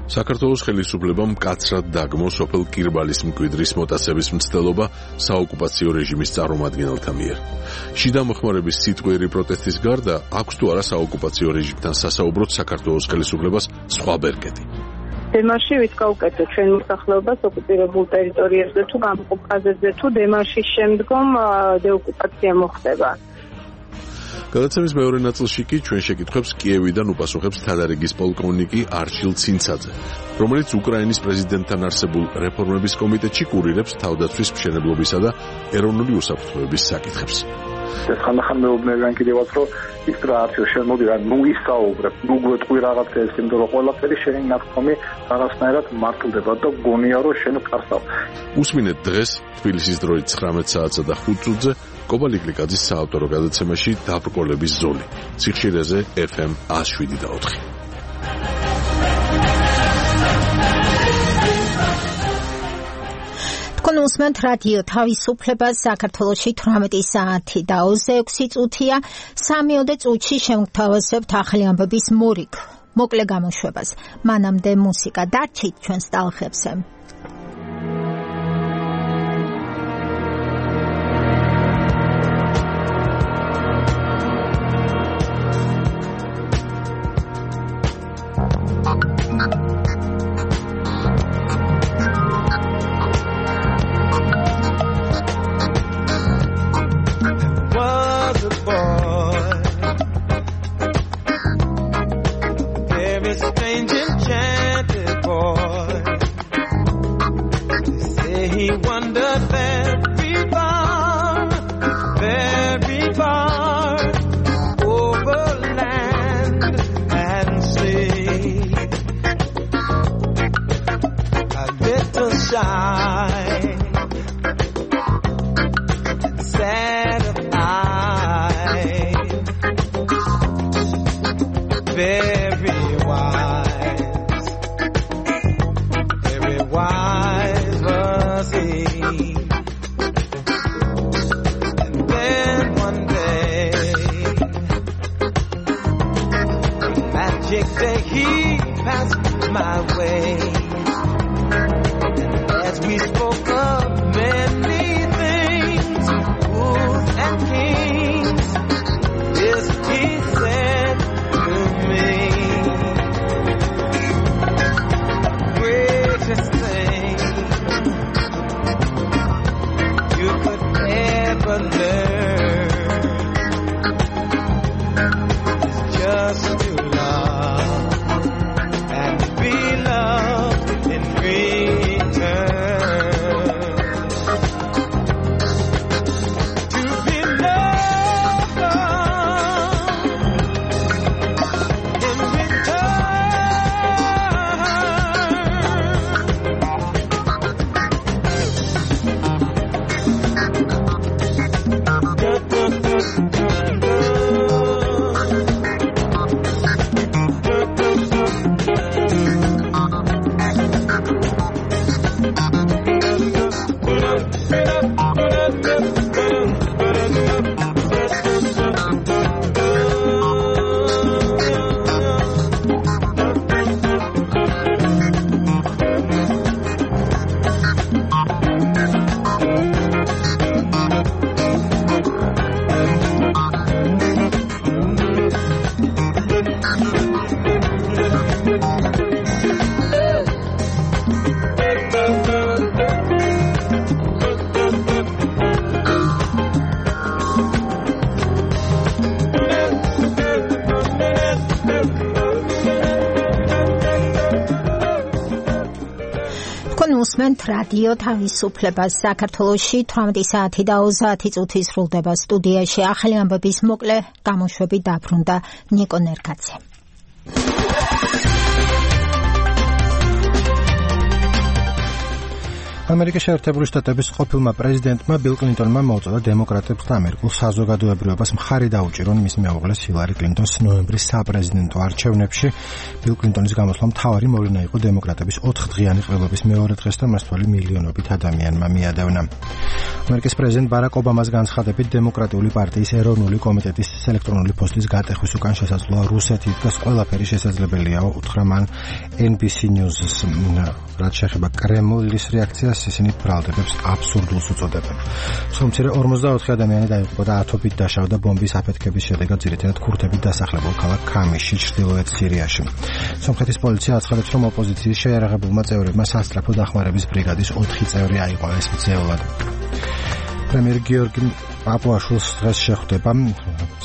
საქართველოს ხელისუფლებამ მკაცრად დაგმო სოფელ კირბალის მკვიდრის მოტაცების მცდელობა საოკუპაციო რეჟიმის წარმომადგენელთა მიერ. შიდა მოხმარების სიტყვიერი პროტესტის გარდა აქვს თუ არა საოკუპაციო რეჟიმთან სასაუბროდ საქართველოს ხელისუფლებას სხვა ბერკეტი. დემარში ვის გაუკეთო ჩვენ მოსახლეობას ოკუპირებულ ტერიტორიებზე თუ გამყოფ ხაზებზე თუ დემარშის შემდგომ დეოკუპაცია მოხდება. გადაცემის მეორე ნაწილში კი ჩვენ შეკითხვებს კიევიდან უპასუხებს თადარიგის პოლკოვნიკი არჩილ ცინცაძე, რომელიც უკრაინის პრეზიდენტთან არსებულ რეფორმების კომიტეტში კურირებს თავდაცვის მშენებლობისა და ეროვნული უსაფრთხოების საკითხებს. ეს ხანდახან მეუბნებიან კიდევაც, რომ ის რა არჩილ შემოდი რა ნუ ისაუბრებ, ნუ გვეტყვი რაღაცებს, იმიტომ რომ ყველაფერი შენი ნათქვამი რაღაცნაირად მართლდება და გონია რომ შენ ფარსავ. უსმინეთ დღეს თბილისის დროით ცხრამეტ საათსა და ხუთ წუთზე კობა ლიკლიკაძის საავტორო გადაცემაში დაბრკოლების ზოლი. ციხშირეზე ეფ ემ ათას შვიდი და ოთხი. თქვენ უსმენთ რადიო თავისუფლებას საქართველოში თვრამეტი საათი და ოცდაექვსი წუთია. სამიოდე წუთში შევთავაზებთ ახალი ამბების მორიგ მოკლე გამოშვებას. მანამდე მუსიკა დარჩით ჩვენს ტალღებზე. Be loved in return. უსმენთ რადიო თავისუფლებას. საქართველოში თვრამეტი საათი და ოცდაათი წუთი სრულდება. სტუდიაში ახალი ამბების მოკლე გამოშვები დაბრუნდა ნიკო ნერკაძე. ამერიკის შეერთებული შტატების ყოფილმა პრეზიდენტმა ბილ კლინტონმა მოუწოდა დემოკრატებს და ამერიკულ საზოგადოებრივებას მხარი დაუჭირონ მის მეუღლეს ჰილარი კლინტონს ნოემბრის საპრეზიდენტო არჩევნებში. ბილ კლინტონის გამოსვლამ მთავარი მოვლენა იყო დემოკრატების ოთხდღიანი ყრილობის მეორე დღეს და მასთვალი მილიონობით ადამიანმა მიადევნა. ამერიკის პრეზიდენტ ბარაკ ობამას განცხადებით დემოკრატიული პარტიის ეროვნული კომიტეტის ელექტრონული პოსტის გატეხვის უკან შესაძლოა რუსეთი დგას ყველაფერი შესაძლებელია, უთხრა მან ენ ბი სი News-ს. რაც შეეხება კრემლის რეაქციას, ისინი ბრალდებებს აბსურდულს უწოდებენ. სულ ორმოცდაოთხი ადამიანი დაიღუპა და ათობით დაშავდა ბომბის აფეთქების შედეგად ძირითადად ქურთებით დასახლებულ ქალაქ ქამისში, ჩრდილოეთ სირიაში. სომხეთის პოლიცია აცხადებს, რომ ოპოზიციის შეიარაღებულმა წევრებმა სასწრაფო დახმარების ბრიგადის ოთხი წევრი აიყვანეს მძევლად. პრემიერ გიორგი პაპუაშვილს დღეს შეხვდება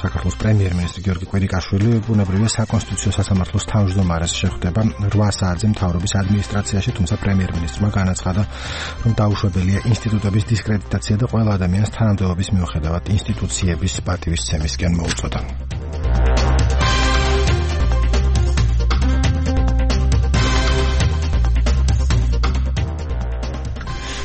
საქართველოს პრემიერ-მინისტრი გიორგი კვირიკაშვილი, ბუნებრივია საკონსტიტუციო სასამართლოს თავმჯდომარეს შეხვდება რვა საათზე მთავრობის ადმინისტრაციაში, თუმცა პრემიერ-მინისტრმა განაცხადა, რომ დაუშვებელია ინსტიტუტების დისკრედიტაცია და ყველა ადამიანს თანამდებობის მიუხედავად ინსტიტუციების პატივისცემისკენ მოუწოდა.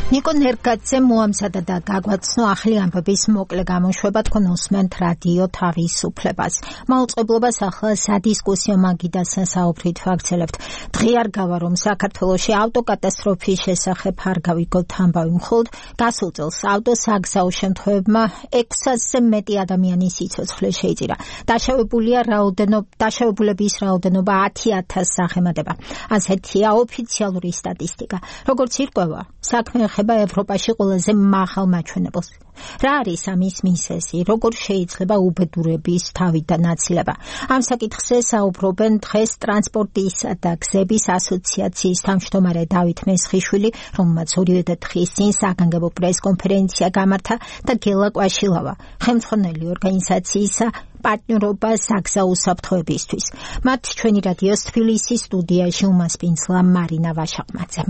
ნიკო ნერკაძე მოამზადა და გაგვაცნო ახალი ამბების მოკლე გამოშვება. თქვენ უსმენთ რადიო თავისუფლებას. მაუწყებლობას ახლა სადისკუსიო მაგიდასთან საუბრით ვაგრძელებთ. დღე არ გავა, რომ საქართველოში ავტოკატასტროფის შესახებ არ გავიგოთ ამბავი. მხოლოდ გასულ წელს ავტოსაგზაო შემთხვევებმა ექვსასზე მეტი ადამიანის სიცოცხლე შეიწირა. დაშავებულია რაოდენობა, დაშავებულების რაოდენობა ათი ათასს აღემატება. ასეთია ოფიციალური სტატისტიკა. როგორც ირკვევა, საქმე ეხება ევროპაში ყველაზე მაღალ მაჩვენებელს. რა არის ამის მიზეზი? როგორ შეიძლება უბედურების თავიდან აცილება? ამ საკითხზე საუბრობენ დღეს ტრანსპორტისა და გზების ასოციაციის თავმჯდომარე დავით მესხიშვილი, რომელმაც ორივე დღის წინ საგანგებო პრესკონფერენცია გამართა, და გელა კვაშილავა, ხელმძღვანელი ორგანიზაციისა პარტნიორობა საგზაო უსაფრთხოებისთვის. მათ ჩვენი რადიოს თბილისის სტუდიაში უმასპინძლა მარინა ვაშაყმაძე.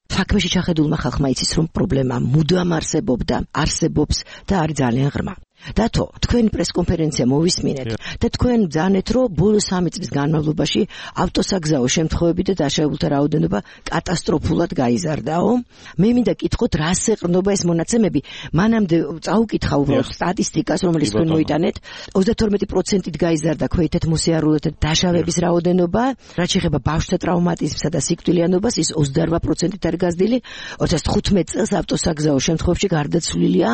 საქმეში ჩახედულმა ხალხმა იცის, რომ პრობლემა მუდამ არსებობდა, არსებობს და არის ძალიან ღრმა. დათო, თქვენი პრესკონფერენცია მოვისმინეთ და თქვენ ბრძანეთ, რომ ბოლო სამი წლის განმავლობაში ავტოსაგზაო შემთხვევები და დაშავებულთა რაოდენობა კატასტროფულად გაიზარდაო. მე მინდა კითხოთ, რას ეყრდნობა ეს მონაცემები? მანამდე წაუკითხა უბრალოდ სტატისტიკას, რომელიც თქვენ მოიტანეთ. ოცდათორმეტი პროცენტით გაიზარდა ქვეითად მოსიარულეთა დაშავების რაოდენობა, რაც შეეხება ბავშვთა ტრავმატიზმსა და სიკვდილიანობას, ის ოცდაორ პროცენტით არის გაზრდილი. ორი ათას თხუთმეტ წელს ავტოსაგზაო შემთხვევებში გარდაცვლილია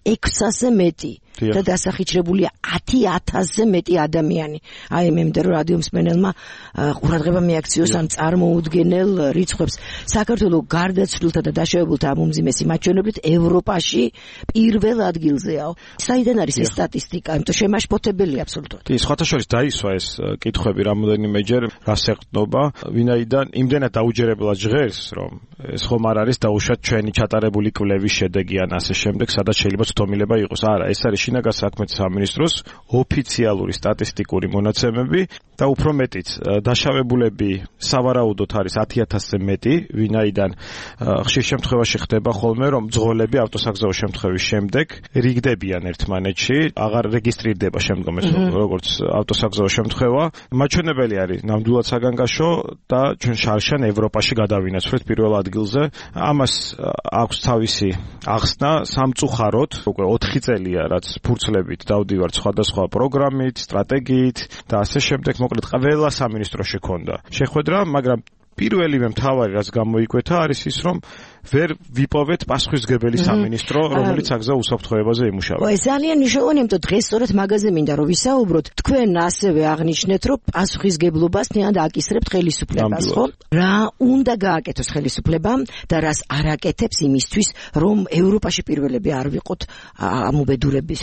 ექვსასზე მეტი. და დასახიჩრებულია ათი ათასზე მეტი ადამიანი. აი მე მინდა რომ რადიო მსმენელმა ყურადღება მიაქციოს ამ წარმოუდგენელ რიცხვებს. საქართველოს გარდაცვლილთა და დაშავებულთა ამომძიმესი მაჩვენებლით ევროპაში პირველ ადგილზეა. საიდან არის ეს სტატისტიკა? იმიტომ შემაშფოთებელია აბსოლუტურად. კი, სხვათა შორის დაისვა ეს კითხვები რამოდენიმეჯერ, რას ეყრდნობა, ვინაიდან იმდენად დაუჯერებლად ჟღერს, რომ ეს ხომ არ არის დაუშვათ ჩვენი ჩატარებული კვლევის შედეგი ან ასე შემდეგ, სადაც შეიძლება ცდომილება იყოს. არა, ეს არის შინაგან საქმეთა სამინისტროს ოფიციალური სტატისტიკური მონაცემები და უფრო მეტიც დაშავებულები სავარაუდოდ არის ათი ათასზე მეტი, ვინაიდან ხშირ შემთხვევაში ხდება ხოლმე, რომ მძღოლები ავტოსაგზაო შემთხვევის შემდეგ რიგდებიან ერთმანეთში, აღარ რეგისტრირდება შემდგომ ეს როგორც ავტოსაგზაო შემთხვევა. მაჩვენებელი არის ნამდვილად საგანგაშო და ჩვენ შარშან ევროპაში გადავინაცვლეთ პირველ ადგილზე. ამას აქვს თავისი ახსნა სამწუხაროდ, უკვე ოთხი წელია რაც ფურცლებით დავდივართ სხვადასხვა პროგრამით, სტრატეგიით და ასე შემდეგ. მოკლედ ყველა სამინისტროში ქონდა შეხვედრა, მაგრამ პირველივე მთავარი რაც გამოიკვეთა არის ის, რომ ვერ ვიპოვეთ პასუხისმგებელი სამინისტრო, რომელიც საგზაო უსაფრთხოებაზე იმუშავა. ეს ძალიან მნიშვნელოვანია, იმიტომ დღეს სწორედ მაგაზე მინდა რომ ვისაუბროთ. თქვენ ასევე აღნიშნეთ, რომ პასუხისმგებლობას თანდ აკისრებთ ხელისუფლებას, ხო? რა უნდა გააკეთოს ხელისუფლებამ და რას არ აკეთებს იმისთვის, რომ ევროპაში პირველები არ ვიყოთ ამ უბედურების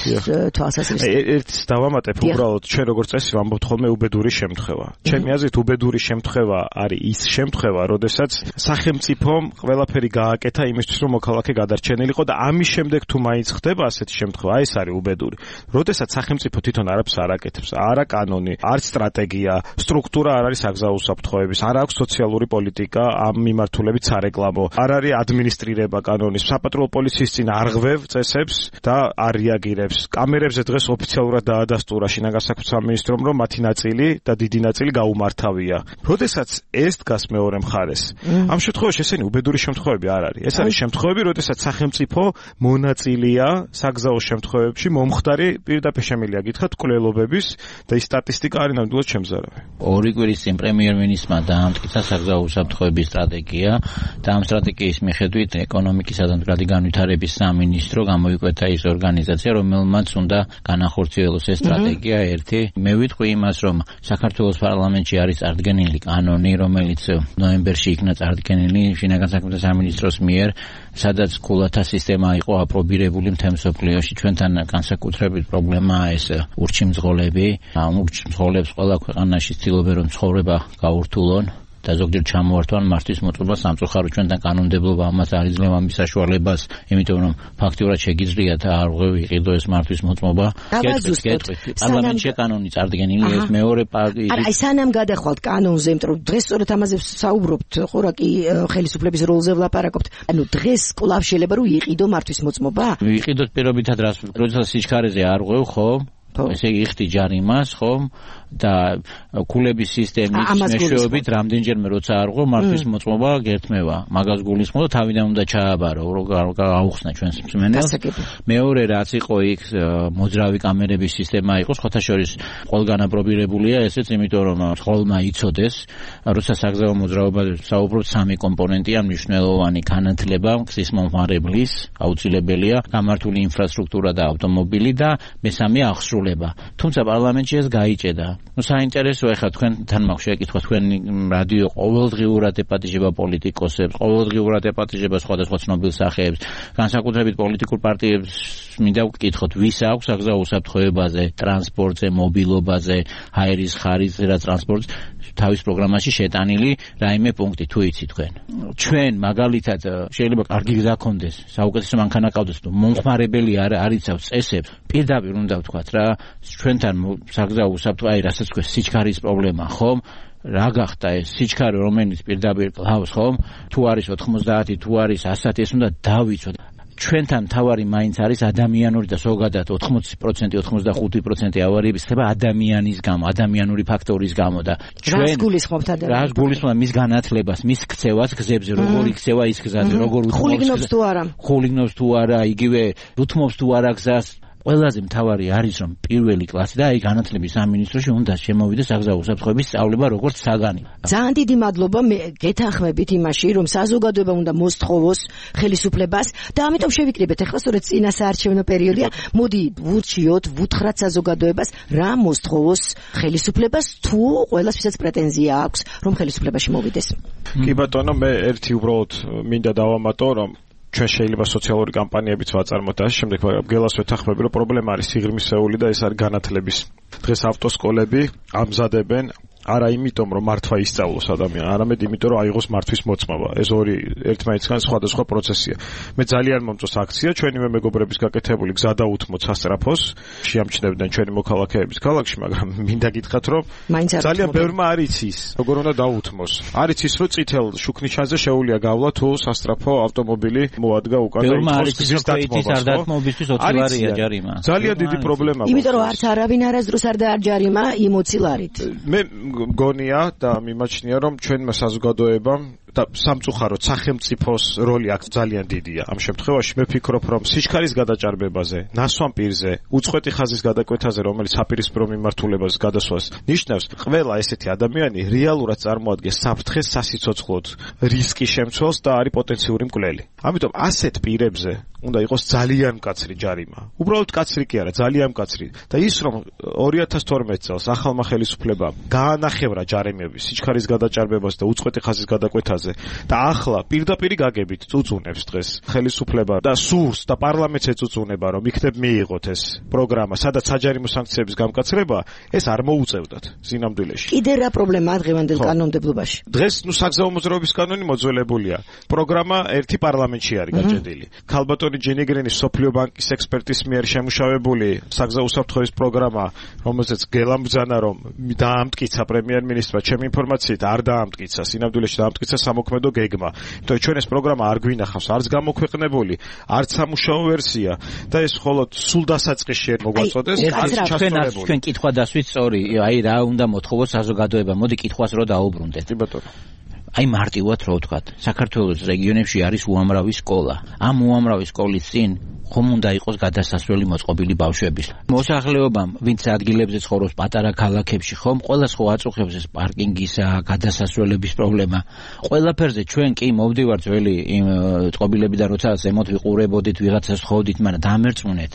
თვალსაზრისით. ერთს დავამატებ, უბრალოდ ჩვენ როგორც წესი ვამბობთ ხოლმე უბედური შემთხვევა. ჩემი აზრით უბედური შემთხვევა არის ის შემთხვევა, როდესაც სახელმწიფომ ყველაფერი გააკეთა იმისთვის, რომ მოქალაქე გადარჩენილიყო და ამის შემდეგ თუ მაინც ხდება ასეთი შემთხვევა, აი ეს არის უბედური. როდესაც სახელმწიფო თვითონ არაფერს არ აკეთებს, არა კანონი, არც სტრატეგია, სტრუქტურა არ არის საგზაო უსაფრთხოების, არ აქვს სოციალური პოლიტიკა ამ მიმართულებით სარეკლამო, არ არის ადმინისტრირება კანონის, საპატრულო პოლიციის წინ არ ღვევ წესებს და არ რეაგირებს. კამერებზე დღეს ოფიციალურად დაადასტურა შინაგან საქმეთა სამინისტრომ, რომ მათი ნაწილი და დიდი ნაწილი გაუმართავია. როდესაც ეს დგას მეორე მხარეს, ამ შემთხვევაში ესენი უბედური შემთხვევები არ არის. ეს არის შემთხვევები, როდესაც სახელმწიფო მონაწილეა საგზაო შემთხვევებში მომხდარი პირდაპირ შემიძლია გითხრათ კვლელობების და ის სტატისტიკა არის ნამდვილად შემზარავი. ორი კვირის წინ პრემიერ-მინისტრმა დაამტკიცა საგზაო უსაფრთხოების სტრატეგია და ამ სტრატეგიის მიხედვით ეკონომიკისა და მდგრადი განვითარების სამინისტრო გამოიკვეთა ის ორგანიზაცია, რომელმაც უნდა განახორციელოს ეს სტრატეგია. ერთი, მე ვიტყვი იმას, რომ საქართველოს პარლამენტში არის წარდგენილი კანონი, რომელიც ნოემბერში იქნა წარდგენილი შინაგან საქმეთა სამინისტროს მიერ, სადაც ქულათა სისტემა იყო აპრობირებული მთელ მსოფლიოში. ჩვენთან განსაკუთრებით პრობლემაა ეს ურჩიმძღოლები. ამ ურჩიმძღოლებს ყველა ქვეყანაში ცდილობენ რომ ცხოვრება გაურთულონ და ზოგჯერ ჩამოართვან მართვის მოწყობა სამწუხაროდ ჩვენთან კანონმდებლობა ამას არ იძლევა მის საშუალებას, იმიტომ რომ ფაქტიურად შეგიძლია და არ ვიყიდო ეს მართვის მოწყობა. პარლამენტში კანონი წარდგენილი, ეს მეორე პარტიის. აი სანამ გადახვალთ კანონზე, იმიტომ რომ დღეს სწორედ ამაზე საუბრობთ, ხო რა კი ხელისუფლების როლზე ვლაპარაკობთ. ანუ დღეს კვლავ შეიძლება რომ იყიდო მართვის მოწყობა? ვიყიდოთ პირობითად რას, როდესაც სიჩქარეზე არ ღვევ, ხო? ესე იგი იხდი ჯარიმას, ხო? და ქულების სისტემის მეშვეობით რამდენჯერმე როცა არ ღვევ მართვის მოწყობა გერთმევა. მაგას გულისხმობ და თავიდან უნდა ჩააბარო, რომ აუხსნა ჩვენს მსმენელს. მეორე რაც იყო იქ მოძრავი კამერების სისტემა იყო, სხვათა შორის ყველგან აპრობირებულია ესეც, იმიტომ რომ ხოლმა იცოდეს, როცა საგზაო მოძრაობაზე საუბრობთ, სამი კომპონენტია მნიშვნელოვანი: განათლება, გზის მომხმარებლის, აუცილებელია, გამართული ინფრასტრუქტურა და ავტომობილი და მესამე აღსრულება. თუმცა პარლამენტში ეს გაიჭედა. ну საინტერესოა ხა თქვენთან მაქვს შეკითხვა, თქვენ რადიო ყოველდღიურად ეპატიჟება პოლიტიკოსებს, ყოველდღიურად ეპატიჟება სხვადასხვა ცნობილ სახეებს, განსაკუთრებით პოლიტიკურ პარტიებს მინდა ვკითხოთ, ვის აქვს საგზაო უსაფრთხოებაზე, ტრანსპორტზე, მობილობაზე, ჰაერის ხარისზე და ტრანსპორტს თავის პროგრამაში შეტანილი რაიმე პუნქტი თუ იცით თქვენ. ჩვენ მაგალითად შეიძლება კარგი გზა გქონდეს, საუკეთესო მანქანა ყავდეს, მომხმარებელი არ არიცავს წესებს, პირდაპირ უნდა ვთქვათ რა, ჩვენთან საგზაო უსაფრთხო, აი რასაც თქვენ სიჩქარის პრობლემა, ხომ? რა გახდა ეს სიჩქარე, რომელიც პირდაპირ ყავს, ხომ? თუ არის ოთხმოცდაათი, თუ არის ასათი, ეს უნდა დავიცოთ. ჩვენთან თავარი მაინც არის ადამიანური და ზოგადად ოთხმოცი პროცენტი, ოთხმოცდახუთი პროცენტი ავარიების ხდება ადამიანის გამო, ადამიანური ფაქტორის გამო და ჩვენ რას გულისხმობთ ადამიანს? რას გულისხმობთ მის განათლებას, მის ქცევას გზებზე, როგორ იქცევა ის გზაზე, როგორ ხულიგნობს თუ არა? ხულიგნობს თუ არა, იგივე უთმობს თუ არა გზას. ყველაზე მთავარი არის რომ პირველი კლასი და აი განათლების სამინისტროში უნდა შემოვიდეს საგზაო უსაფრთხოების სწავლება როგორც საგანი. ძალიან დიდი მადლობა, მე გეთანხმებით იმაში, რომ საზოგადოება უნდა მოსთხოვოს ხელისუფლებას და ამიტომ შევიკრიბეთ ახლა სწორედ წინა საარჩევნო პერიოდია. მოდი ვურჩიოთ, ვუთხრათ საზოგადოებას რა მოსთხოვოს ხელისუფლებას, თუ ყველას ვისაც პრეტენზია აქვს რომ ხელისუფლებაში მოვიდეს. კი ბატონო, მე ერთი უბრალოდ მინდა დავამატო, რომ ჩვენ შეიძლება სოციალური კამპანიებიც ვაწარმოოთ და შემდეგ გელას ვეთანხმები, რომ პრობლემა არის სიღრმისეული და ეს არის განათლების. დღეს ავტოსკოლები ამზადებენ არა იმიტომ რომ მართვა ისწავლოს ადამიანი, არამედ იმიტომ რომ აიღოს მართვის მოწმობა. ეს ორი ერთმანეთისგან სხვადასხვა პროცესია. მე ძალიან მომწონს აქცია, ჩვენივე მეგობრების გაკეთებული გზა დაუთმოთ სასტრაფოს, შეამჩნევდნენ ჩვენი მოქალაქეების ქალაქში, მაგრამ მინდა გითხრათ რომ ძალიან ბევრმა არ იცის, როგორ უნდა დაუთმოს. არ იცის რომ წითელ შუქნიშანზე შეუძლია გავლა თუ სასტრაფო ავტომობილი მოადგა უკან და ითხოვს გზის დათმობისთვის ოცი ლარია ჯარიმა. ძალიან დიდი პრობლემაა. იმიტომ რომ არც არავინ არასდროს არ დაარჯარიმა იმ ოცი ლარით. მე მგონია და მიმაჩნია რომ ჩვენმა საზოგადოებამ და სამწუხაროდ სახელმწიფოს როლი აქ ძალიან დიდია. ამ შემთხვევაში მე ვფიქრობ რომ სიჩქარის გადაჭარბებაზე, ნასვამ პირზე, უწყვეტი ხაზის გადაკვეთაზე, რომელიც საპირისპირო მიმართულებას გადასვას ნიშნავს, ყველა ესეთი ადამიანი რეალურად წარმოადგენს საფრთხეს სასიცოცხლოდ, რისკის შემცველს და არის პოტენციური მკვლელი. ამიტომ ასეთ პირებზე უნდა იყოს ძალიან მკაცრი ჯარიმა. უბრალოდ მკაცრი კი არა, ძალიან მკაცრი. და ის რომ ორი ათას თორმეტ წელს ახალმა ხელისუფლებამ გაანახევრა ჯარიმები სიჩქარის გადაჭარბებას და უწყვეტი ხაზის გადაკვეთაზე, თემაზე და ახლა პირდაპირ გაგებით წუწუნებს დღეს ხელისუფლება და სურს და პარლამენტს ეწუწუნება რომ იქნებ მიიღოთ ეს პროგრამა, სადაც საჯარიმო სანქციების გამკაცრება, ეს არ მოუწევდათ სინამდვილეში. კიდე რა პრობლემაა დღევანდელ კანონმდებლობაში? დღეს ნუ საგზაო მოძრაობის კანონი მოძველებულია. პროგრამა ერთი პარლამენტში არის გაჭედილი. ქალბატონი ჯენიგრენის სოფლიო ბანკის ექსპერტის მიერ შემუშავებული საგზაო უსაფრთხოების პროგრამა, რომელზეც გელამბძანა რომ დაამტკიცა პრემიერ-მინისტრმა, ჩემი ინფორმაციით არ დაამტკიცა, სინამდვილეში დაამტკიცა სამოქმედო გეგმა. იმიტომ ჩვენ ეს პროგრამა არ გვინახავს, არც გამოქვეყნებული, არც სამუშაო ვერსია და ეს მხოლოდ სულ დასაწყისში არ მოგვაწოდეს, არც ჩასწორებული. ჩვენ კითხვა დასვით სწორი, აი რა უნდა მოთხოვოს საზოგადოება, მოდი კითხვას რო დაუბრუნდეთ. კი ბატონო. აი მარტივად რო ვთქვათ, საქართველოს რეგიონებში არის უამრავი სკოლა. ამ უამრავი სკოლის წინ ხომ უნდა იყოს გადასასვლელი მოწყობილი ბავშვების. მოსახლეობამ, ვინც ადგილებზე ცხოვრობს პატარა ქალაქებში, ხომ ყველა სხვა აწუხებს ეს პარკინგისა, გადასასვლელების პრობლემა. ყველაფერზე ჩვენ კი მოვდივართ ძველი იმ წყობილები და როცა ზემოთ ვიყურებოდით, ვიღაცას ხოვდით, მაგრამ დამერწმუნეთ.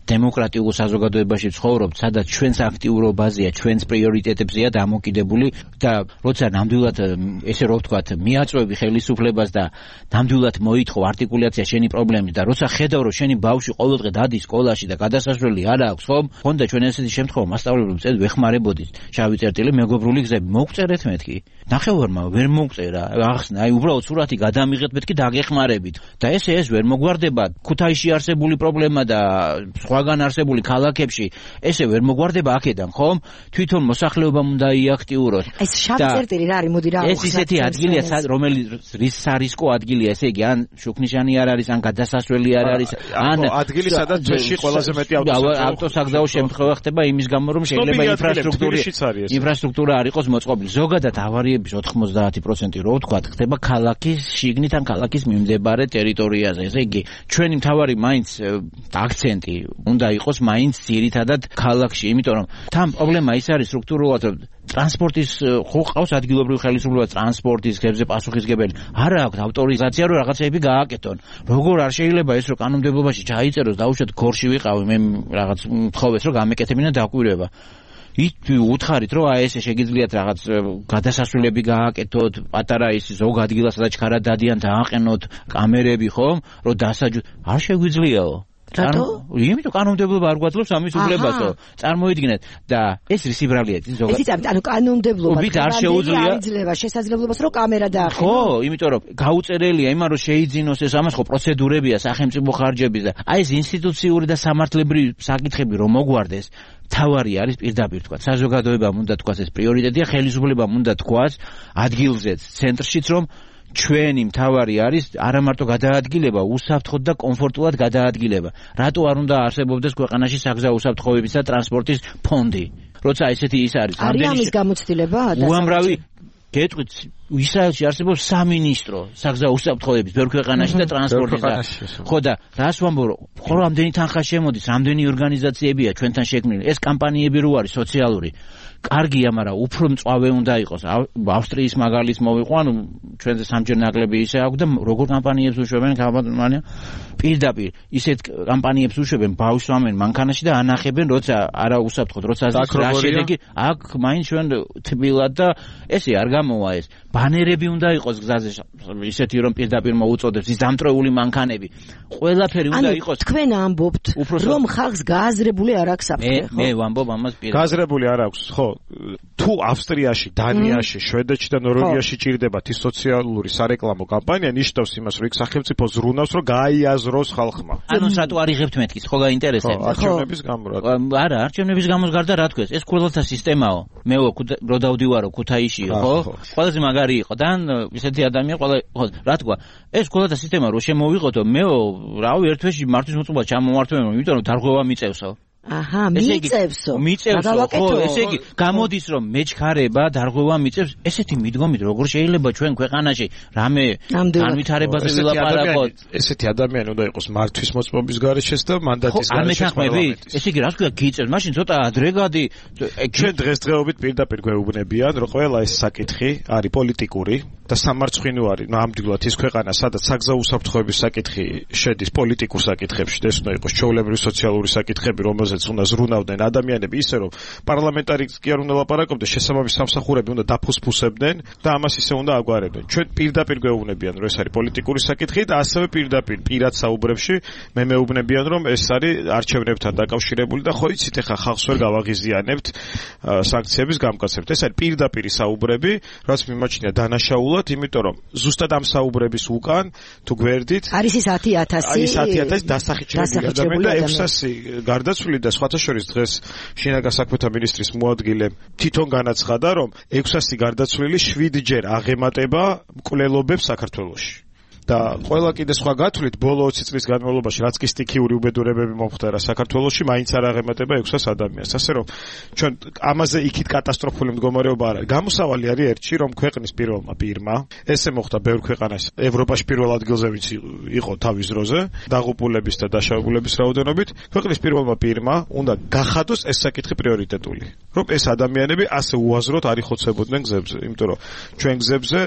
დემოკრატიულ საზოგადოებაში ცხოვრობთ, სადაც ჩვენს აქტიურობაზეა, ჩვენს პრიორიტეტებზეა დამოკიდებული და როცა ნამდვილად ესე რო ვთქვათ, მიაწვევი ხელისუფლებას და ნამდვილად მოითხოვ არტიკულაცია შენი პრობლემის და როცა ხედავ რომ შენი ბავშვი ყოველდღე დადის სკოლაში და გადასასვლელი არ აქვს, ხომ? ხონდა ჩვენ ესეთი შემთხვევა მასწავლებლებს წედ ვეხმარებოდით. შავი წერტილი მეგობრული გზები მოგწერეთ მეთქი. ნახევარმა ვერ მოგწერა. ახსნა, აი უბრალოდ სურათი გადამიღეთ მეთქი დაგეხმარებით. და ესე ეს ვერ მოგვარდება. ქუთაისში არსებული პრობლემა და სხვაგან არსებული ქალაქებში ესე ვერ მოგვარდება აქედან, ხომ? თვითონ მოსახლეობამ უნდა იაქტიუროს. ეს შავი წერტილი რა არის? მოდი რა ეს ისეთი ადგილია, რომელიც რის სარისკო ადგილია, ესე იგი, ან შუქნიშანი არ არის, ან გადასასვლელი არ არის, ან ადგილი, სადაც ძეში ყველაზე მეტი ავტოსაგზაო შემთხვევა ხდება იმის გამო, რომ შეიძლება ინფრასტრუქტურა ინფრასტრუქტურა არ იყოს მოწყობილი. ზოგადად ავარიების ოთხმოცდაათი პროცენტი რო ვთქვათ, ხდება ქალაქის შიგნით ან ქალაქის მიმდებარე ტერიტორიაზე. ესე იგი, ჩვენი მთავარი მაინც აქცენტი უნდა იყოს მაინც ძირითადად ქალაქში, იმიტომ რომ თან პრობლემა ის არის სტრუქტურულად, რომ ტრანსპორტის ხო ყავს ადგილობრივი ხელისუფლება ტრანსპორტის გებზე პასუხისგებელი. არა აქვს ავტორიზაცია რომ რაღაცები გააკეთონ. როგორ არ შეიძლება ეს რომ კანონმდებლობაში ჩაიწეროს, დაუშვათ გორში ვიყავი, მე რაღაც მთხოვეს რომ გამეკეთებინა დაკვირვება. ით უთხარით რომ აი ესე შეგიძლიათ რაღაც გადასასვლელები გააკეთოთ, პატარა ის ზოგ ადგილას სადაც ჩქარა დადიან დააყენოთ კამერები, ხომ? რომ დასაჯო არ შეგვიძლიაო. რატო? იმიტომ კანონმდებლობა არ გვაძლევს ამის უფლებასო. წარმოიდგინეთ და ეს რისიბრალია ზოგადად. ეს იცით, ანუ კანონმდებლობა არ შეუძლია იძლევა შესაძლებლობას რომ კამერა დაახენოს. ხო, იმიტომ რომ გაუწერელია იმან რომ შეიძინოს ეს ამას ხო პროცედურებია სახელმწიფო ხარჯების და აი ეს ინსტიტუციური და სამართლებრივი საკითხები რომ მოგვარდეს. თავარი არის პირდაპირ თქვა. საზოგადოებამ უნდა თქვას ეს პრიორიტეტია, ხელისუფლებამ უნდა თქვას ადგილზეც, ცენტრშიც რომ ჩვენი მთავარი არის არა მარტო გადაადგილება, უსაფრთხოდ და კომფორტულად გადაადგილება. რატო არ უნდა არსებობდეს ქვეყანაში საგზაო უსაფრთხოების და ტრანსპორტის ფონდი? როცა ესეთი ის არის. არის ამის გამოცდილება? უამრავი გეტყვით, ისრაელში არსებობს სამინისტრო საგზაო უსაფრთხოების ბევრ ქვეყანაში და ტრანსპორტის და ხო და რას ვამბობ, ხო რამდენი თანხა შემოდის, რამდენი ორგანიზაციებია ჩვენთან შექმნილი. ეს კამპანიები რო არის სოციალური კარგია, მაგრამ უფრო მწვავე უნდა იყოს. ავსტრიის მაგალითს მოვიყვა, ანუ ჩვენზე სამჯერ ნაკლები ისე აქვს და როგორ კამპანიებს უშვებენ კამპანია პირდაპირ ისეთ კამპანიებს უშვებენ, ბავშვს ამენ მანქანაში და ანახებენ, როცა არა უსაფრთხოდ, როცა რა შედეგი აქ მაინც ჩვენ თბილად და ესე არ გამოვა ეს. ბანერები უნდა იყოს გზაზე ისეთი რომ პირდაპირ მოუწოდებს ის დამტრეული მანქანები. ყველაფერი უნდა იყოს. თქვენ ამბობთ, რომ ხალხს გააზრებული არ აქვს საფრთხე, ხო? მე ვამბობ ამას პირდაპირ. გააზრებული არ აქვს, ხო? თუ ავსტრიაში, დანიაში, შვედეთში და ნორვეგიაში ჭირდებათ ის სოციალური სარეკლამო კამპანია, ნიშნავს იმას, რომ იქ სახელმწიფო ზრუნავს, რომ გაიაზროს ხალხმა. ანუ რატო არ იღებთ მეთქის, ხო გაინტერესებს? არჩევნების გამო რა. არა, არჩევნების გამოს გარდა რა თქვეს? ეს ყველთა სისტემაო. მე რო დავდივარო ქუთაისში, ხო? ყველაზე მაგარი იყო და ისეთი ადამიანი ყველა ხო რა თქვა? ეს ყველთა სისტემა რო შემოვიღოთო, მეო რავი ერთ თვეში მართვის მოწყობა ჩამომართვენ, იმიტომ რომ დარღვევა მიწევსო. აჰა, მიწევსო. მიწევსო, ხო, ესე იგი, გამოდის რომ მეჩქარება, დარღვევა მიწევს, ესეთი მიდგომით როგორ შეიძლება ჩვენ ქვეყანაში რამე განვითარებაზე ვილაპარაკოთ? ესეთი ადამიანი უნდა იყოს მართვის მოწყობის გარეშეც და მანდატის გარეშეც პარლამენტის. ესე იგი, რა თქვია, გიწევს, მაშინ ცოტა ადრეგადი ჩვენ დღესდღეობით პირდაპირ გვეუბნებიან, რომ ყველა ეს საკითხი არის პოლიტიკური და სამარცხვინო არის ნამდვილად ის ქვეყანა, სადაც საგზაო უსაფრთხოების საკითხი შედის პოლიტიკურ საკითხებში, ეს უნდა იყოს ჩვეულებრივი სოციალური საკითხები, რომელზეც უნდა ზრუნავდნენ ადამიანები, ისე რომ პარლამენტარიც კი არ უნდა ლაპარაკობდეს, შესაბამის სამსახურები უნდა დაფუსფუსებდნენ და ამას ისე უნდა აგვარებდნენ. ჩვენ პირდაპირ გვეუბნებიან, რომ ეს არის პოლიტიკური საკითხი და ასევე პირდაპირ პირად საუბრებში მე მეუბნებიან, რომ ეს არის არჩევნებთან დაკავშირებული და ხო იცით, ეხა ხალხს ვერ გავაღიზიანებთ სანქციების გამკაცებთ. ეს არის პირდაპირი საუბრები, რაც მიმაჩნია დანაშაულად, იმიტომ რომ ზუსტად ამ საუბრების უკან თუ გვერდით არის ის ათი ათასი არის ათი ათასი დასახიჩრებული ადამიანი და ექვსასი გარდაცვლილი და სხვათა შორის დღეს შინაგან საქმეთა მინისტრის მოადგილე თვითონ განაცხადა, რომ ექვსასი გარდაცვლილი შვიდჯერ აღემატება მკვლელობებს საქართველოში. და ყველა კიდე სხვა გათვლით ბოლო ოცი წლის განმავლობაში რაც კი სტიქიური უბედურებები მომხდარა საქართველოში, მაინც არ აღემატება ექვსას ადამიანს. ასე რომ ჩვენ ამაზე იქით კატასტროფული მდგომარეობა არ არის. გამოსავალი არის ერთში, რომ ქვეყნის პირველმა პირმა, ესე მოხდა ბევრ ქვეყანას ევროპაში პირველ ადგილზე ვინც იყო თავის დროზე, დაღუპულების და დაშავებულების რაოდენობით, ქვეყნის პირველმა პირმა უნდა გახადოს ეს საკითხი პრიორიტეტული. რომ ეს ადამიანები ასე უაზროდ არ იხოცებოდნენ გზებზე, იმიტომ რომ ჩვენ გზებზე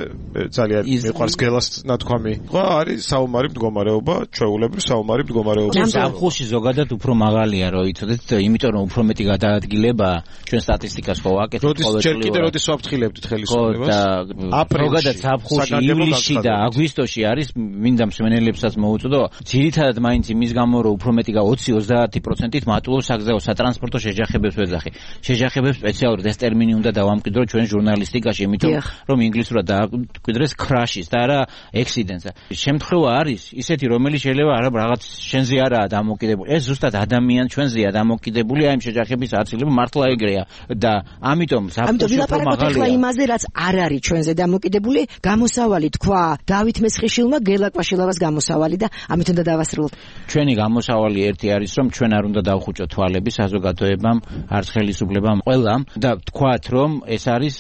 ძალიან მიყვარს გელას ნათქვამი ხო არის საომარი მდგომარეობა, ჩვეულებრივ საომარი მდგომარეობა. ზაფხულში ზოგადად უფრო მაღალია, რომ იცოდეთ, იმიტომ რომ უფრო მეტი გადაადგილება ჩვენ სტატისტიკას ხო ვაკეთებთ ყოველწლიურად. როდის ჯერ კიდე როდის ვაფრთხილებდით ხელისუფლებას? ზოგადად ზაფხულში, ივლისში და აგვისტოში არის, მინდა მსმენელებსაც მოუწოდო, ძირითადად მაინც იმის გამო, რომ უფრო მეტი ოცი ოცდაათი პროცენტით მატულობს საგზაო სატრანსპორტო შეჯახებებს ვეძახი. შეჯახებებს სპეციალურად ეს ტერმინი უნდა დავამკვიდრო ჩვენ ჟურნალისტიკაში, იმიტომ რომ ინგლისურად დააკვირდეს crash-ის და არა accidents. შემთხვევა არის ისეთი, რომელიც შეიძლება არა რაღაც შენზე არაა დამოკიდებული. ეს ზუსტად ადამიან ჩვენზეა დამოკიდებული, აი ამ შეჯახების აცილება მართლა ეგრეა და ამიტომ ზაფხულში უფრო მაღალია. იმაზე რაც არ არის ჩვენზე დამოკიდებული, გამოსავალი თქვა დავით მესხიშვილმა გელაკვაშილავას გამოსავალი და ამით უნდა დავასრულოთ. ჩვენი გამოსავალი ერთი არის, რომ ჩვენ არ უნდა დავხუჭოთ თვალები საზოგადოებამ, არც ხელისუფლებამ, ყველამ და თქვათ, რომ ეს არის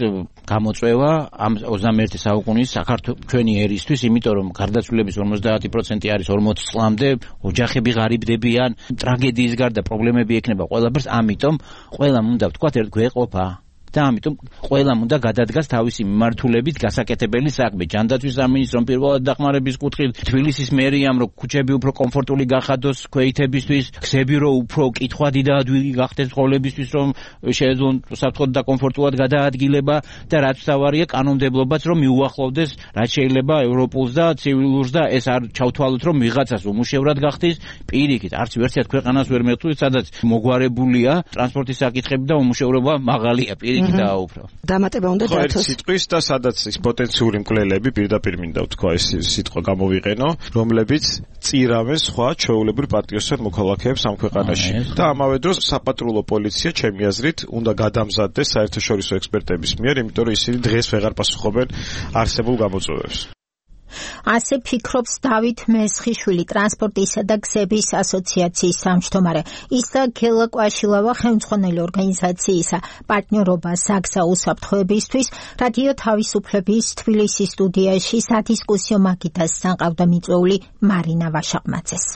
გამოწვევა ამ ოცდამეერთე საუკუნის საქართველოს ჩვენი ერისთვის, იმიტომ რომ გარდაცვლილების ორმოცდაათი პროცენტი არის ორმოცი წლამდე, ოჯახები ღარიბდებიან, ტრაგედიის გარდა პრობლემები ექნება ყველაფერს, ამიტომ ყველამ უნდა ვთქვათ ერთ გვეყოფა და ამიტომ ყველამ უნდა გადადგას თავისი მიმართულებით გასაკეთებელი საქმე. ჯანდაცვის სამინისტრომ პირველად დახმარების კუთხით, თბილისის მერიამ რომ ქუჩები უფრო კომფორტული გახადოს ქვეითებისთვის, გზები რომ უფრო კითხვადი და ადვილი გახდეს ცხოვრებისთვის, რომ შეეძლონ საფრთხოდ და კომფორტულად გადაადგილება და რაც თავარია კანონმდებლობაც რომ მიუახლოვდეს რაც შეიძლება ევროპულს და ცივილურს და ეს არ ჩავთვალოთ რომ ვიღაცას უმუშევრად გახდეს პირიქით. არც ვერსიად ქვეყანას ვერ მეთქვით, სადაც მოგვარებულია ტრანსპორტის საკითხები და უმუშევრობა მაღალია პირიქით. დამატება უნდა დათოს. სიტყვის და სადაც ის პოტენციური მკვლელები პირდაპირ მინდა ვთქვა ეს სიტყვა გამოვიყენო, რომლებიც წირავენ სხვა ჩვეულებრივ პატრიოტულ მოქალაქეებს ამ ქვეყანაში. და ამავე დროს საპატრულო პოლიცია, ჩემი აზრით, უნდა გადამზადდეს საერთაშორისო ექსპერტების მიერ, იმიტომ რომ ისინი დღეს ვეღარ პასუხობენ არსებულ გამოწვევებს. ასე ფიქრობს დავით მესხიშვილი, ტრანსპორტისა და გზების ასოციაციის თავმჯდომარე. ის და გელა კვაშილავა ხელმძღვანელი ორგანიზაციისა პარტნიორობა საგზაო უსაფრთხოებისთვის რადიო თავისუფლების თბილისის სტუდიაში სადისკუსიო მაგიდასთან ყავდა მიწვეული მარინა ვაშაყმაძეს.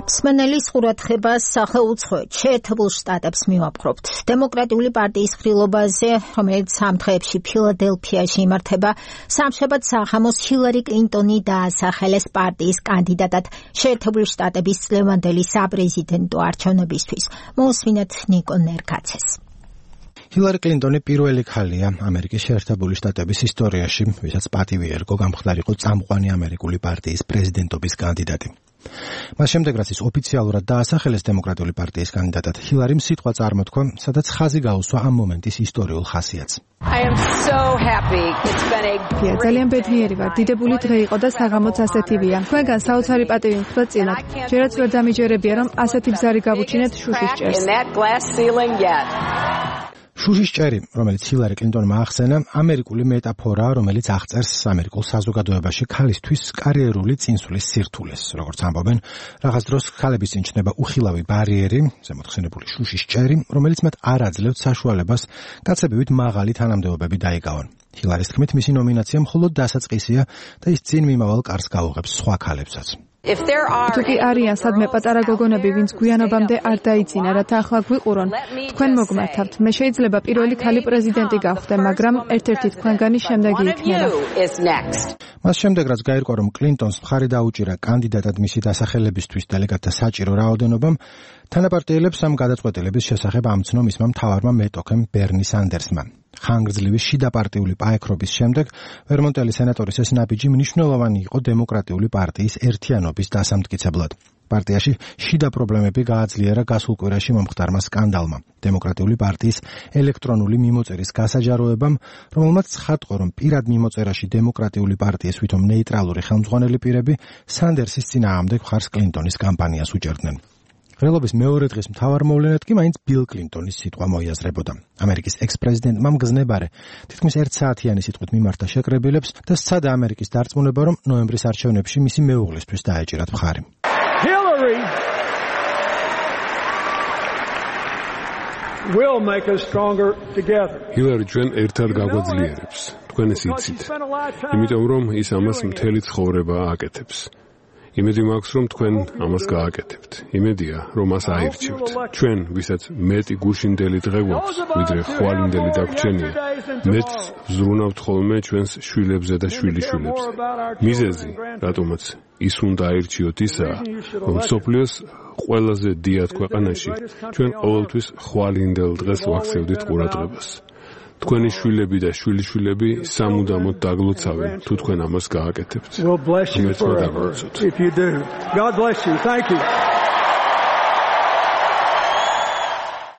მსმენელის ყურადღებას სახელმწიფო შეერთებულ შტატებს მივაპყრობთ. დემოკრატიული პარტიის ხილობაზე, რომელიც სამ დღეებში ფილადელფიაში იმართება, სამშაბათ საღამოს ჰილარი კლინტონი დაასახელეს პარტიის კანდიდატად შეერთებული შტატების წლევანდელი საპრეზიდენტო არჩევნებისთვის. მოусმინეთ ნიკო ნერკაცეს. ჰილარი კლინტონი პირველი ქალია ამერიკის შეერთებული შტატების ისტორიაში, ვისაც პატივი ერგო გამხდარიყო წამყვანი ამერიკული პარტიის პრეზიდენტობის კანდიდატი. მას შემდეგ რაც ის ოფიციალურად დაასახელეს დემოკრატიული პარტიის კანდიდატად, ჰილარიმ სიტყვა წარმოთქვა, სადაც ხაზი გაუსვა ამ მომენტის ისტორიულ ხასიათს. ძალიან ბედნიერი ვარ, დიდებული დღე იყო და საღამოც ასეთივია. თქვენგან საოცარი პატივი მხვდა წილად. ჯერაც ვერ დამიჯერებია, რომ ასეთი ბზარი გავუჩინეთ შუშის ჭერს. შუშის ჭერი, რომელიც ჰილარი კლინტონმა ახსენა, ამერიკული მეტაფორაა, რომელიც აღწერს ამერიკულ საზოგადოებაში ქალისთვის კარიერული წინსვლის სირთულეს. როგორც ამბობენ, რაღაც დროს ქალების წინ ჩნდება უხილავი ბარიერი, ზემოთხსენებული შუშის ჭერი, რომელიც მათ არ აძლევთ საშუალებას კაცებივით მაღალი თანამდებობები დაიკავონ. ჰილარის თქმით, მისი ნომინაცია მხოლოდ დასაწყისია და ის წინ მიმავალ კარს გაუღებს სხვა ქალებსაც. თუკი არიან სადმე პატარა გოგონები, ვინც გვიანობამდე არ დაიძინა, რათა ახლა გვიყურონ, თქვენ მოგმართავთ. მე შეიძლება პირველი ქალი პრეზიდენტი გავხდე, მაგრამ ერთ-ერთი თქვენგანი შემდეგი იქნება. მას შემდეგ რაც გაირკვა, რომ კლინტონს მხარი დაუჭირა კანდიდატად მისი დასახელებისთვის დელეგატთა საჭირო რაოდენობამ, თანაპარტიელებს ამ გადაწყვეტილების შესახებ ამცნო მისმა მთავარმა მეტოქემ ბერნი სანდერსმა. ხანგრძლივი შიდა პარტიული პაექრობის შემდეგ ვერმონტელი სენატორის ეს ნაბიჯი მნიშვნელოვანი იყო დემოკრატიული პარტიის ერთიანობის დასამტკიცებლად. პარტიაში შიდა პრობლემები გააძლიერა გასულ კვირაში მომხდარმა სკანდალმა, დემოკრატიული პარტიის ელექტრონული მიმოწერის გასაჯაროებამ, რომელმაც ცხადყო, რომ პირად მიმოწერაში დემოკრატიული პარტიის ვითომ ნეიტრალური ხელმძღვანელი პირები სანდერსის წინააღმდეგ მხარს კლინტონის კამპანიას უჭერდნენ. ღრელობის მეორე დღის მთავარ მოვლენად კი მაინც ბილ კლინტონის სიტყვა მოიაზრებოდა. ამერიკის ექს-პრეზიდენტმა მგზნებარე თითქმის ერთ საათიანი სიტყვით მიმართა შეკრებილებს და სცადა ამერიკის დარწმუნება, რომ ნოემბრის არჩევნებში მისი მეუღლისთვის დაეჭირათ მხარი. Hillary will make us stronger together. Hillary ჩვენ ერთად გაგვაძლიერებს. თქვენ ეს იცით. იმიტომ რომ ის ამას მთელი ცხოვრება აკეთებს. იმედი მაქვს, რომ თქვენ ამას გააკეთებთ. იმედია, რომ მას აირჩევთ. ჩვენ, ვისაც მეტი გუშინდელი დღე გვაქვს, ვიდრე ხვალინდელი დაგვრჩენია, მეც ვზრუნავთ ხოლმე ჩვენს შვილებზე და შვილიშვილებზე. მიზეზი, რატომაც ის უნდა აირჩიოთ ისაა, რომ სოფლიოს ყველაზე დიად ქვეყანაში ჩვენ ყოველთვის ხვალინდელ დღეს ვაქცევდით ყურადღებას. თქვენი შვილები და შვილიშვილები სამუდამოდ დაგლოცავენ, თუ თქვენ ამას გააკეთებთ. იმედმა დაგლოცოთ.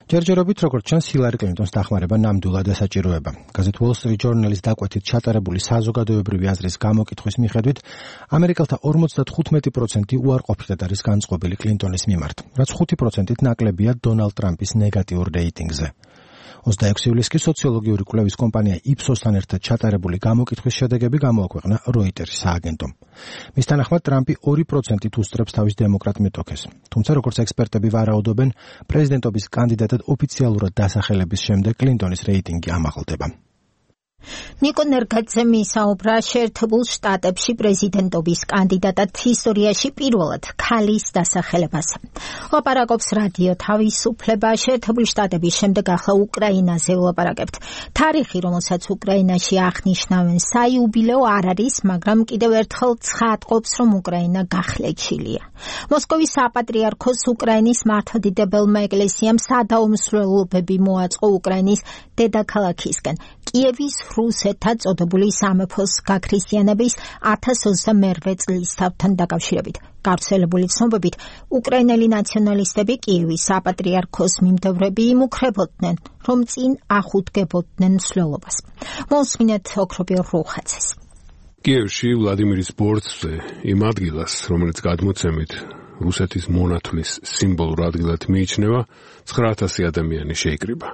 ჯერჯერობით როგორც ჩანს, ჰილარი კლინტონს დახმარება ნამდვილად ესაჭიროება. გაზეთ Wall Street Journal-ის დაკვეთით ჩატარებული საზოგადოებრივი აზრის გამოკითხვის მიხედვით, ამერიკელთა ორმოცდათხუთმეტი პროცენტი უარყოფითად არის განწყობილი კლინტონის მიმართ, რაც ხუთი პროცენტით ნაკლებია დონალდ ტრამპის ნეგატიურ რეიტინგზე. ოცდაექვსი ივლისს კი სოციოლოგიური კვლევის კომპანია იფსოსთან ერთად ჩატარებული გამოკითხვის შედეგები გამოაქვეყნა როიტერის სააგენტომ. მის თანახმად ტრამპი ორი პროცენტით უსწრებს თავის დემოკრატ მეტოქეს. თუმცა როგორც ექსპერტები ვარაუდობენ, პრეზიდენტობის კანდიდატად ოფიციალურად დასახელების შემდეგ კლინტონის რეიტინგი ამაღლდება. ნიკო ნერგაძე მისაუბრა შეერთებულ შტატებში პრეზიდენტობის კანდიდატად ისტორიაში პირველად ქალის დასახელებაზე. ლაპარაკობს რადიო თავისუფლება. შეერთებული შტატების შემდეგ ახლა უკრაინაზე ვლაპარაკებთ. თარიღი, რომელსაც უკრაინაში აღნიშნავენ საიუბილეო არ არის, მაგრამ კიდევ ერთხელ ცხადყოფს, რომ უკრაინა გახლეჩილია. მოსკოვის საპატრიარქოს უკრაინის მართლმადიდებელმა ეკლესიამ სადაუმსვლელობები მოაწყო უკრაინის დედაქალაქისკენ. კიევის რუსეთად წოდებული სამეფოს გაქრისტიანების ათას ოცდამერვე წლისთავთან დაკავშირებით. გავრცელებული ცნობებით, უკრაინელი ნაციონალისტები კიევის საპატრიარქოს მიმდევრები იმუქრებოდნენ, რომ წინ ახუდგებოდნენ მსვლელობას. მოსმინეთ ოქრობილ რუხაცეს. კიევში ვლადიმირის ბორცვზე იმ ადგილას, რომელიც გადმოცემით რუსეთის მონათვლის სიმბოლურ ადგილად მიიჩნევა, ცხრა ათასი ადამიანი შეიკრიბა.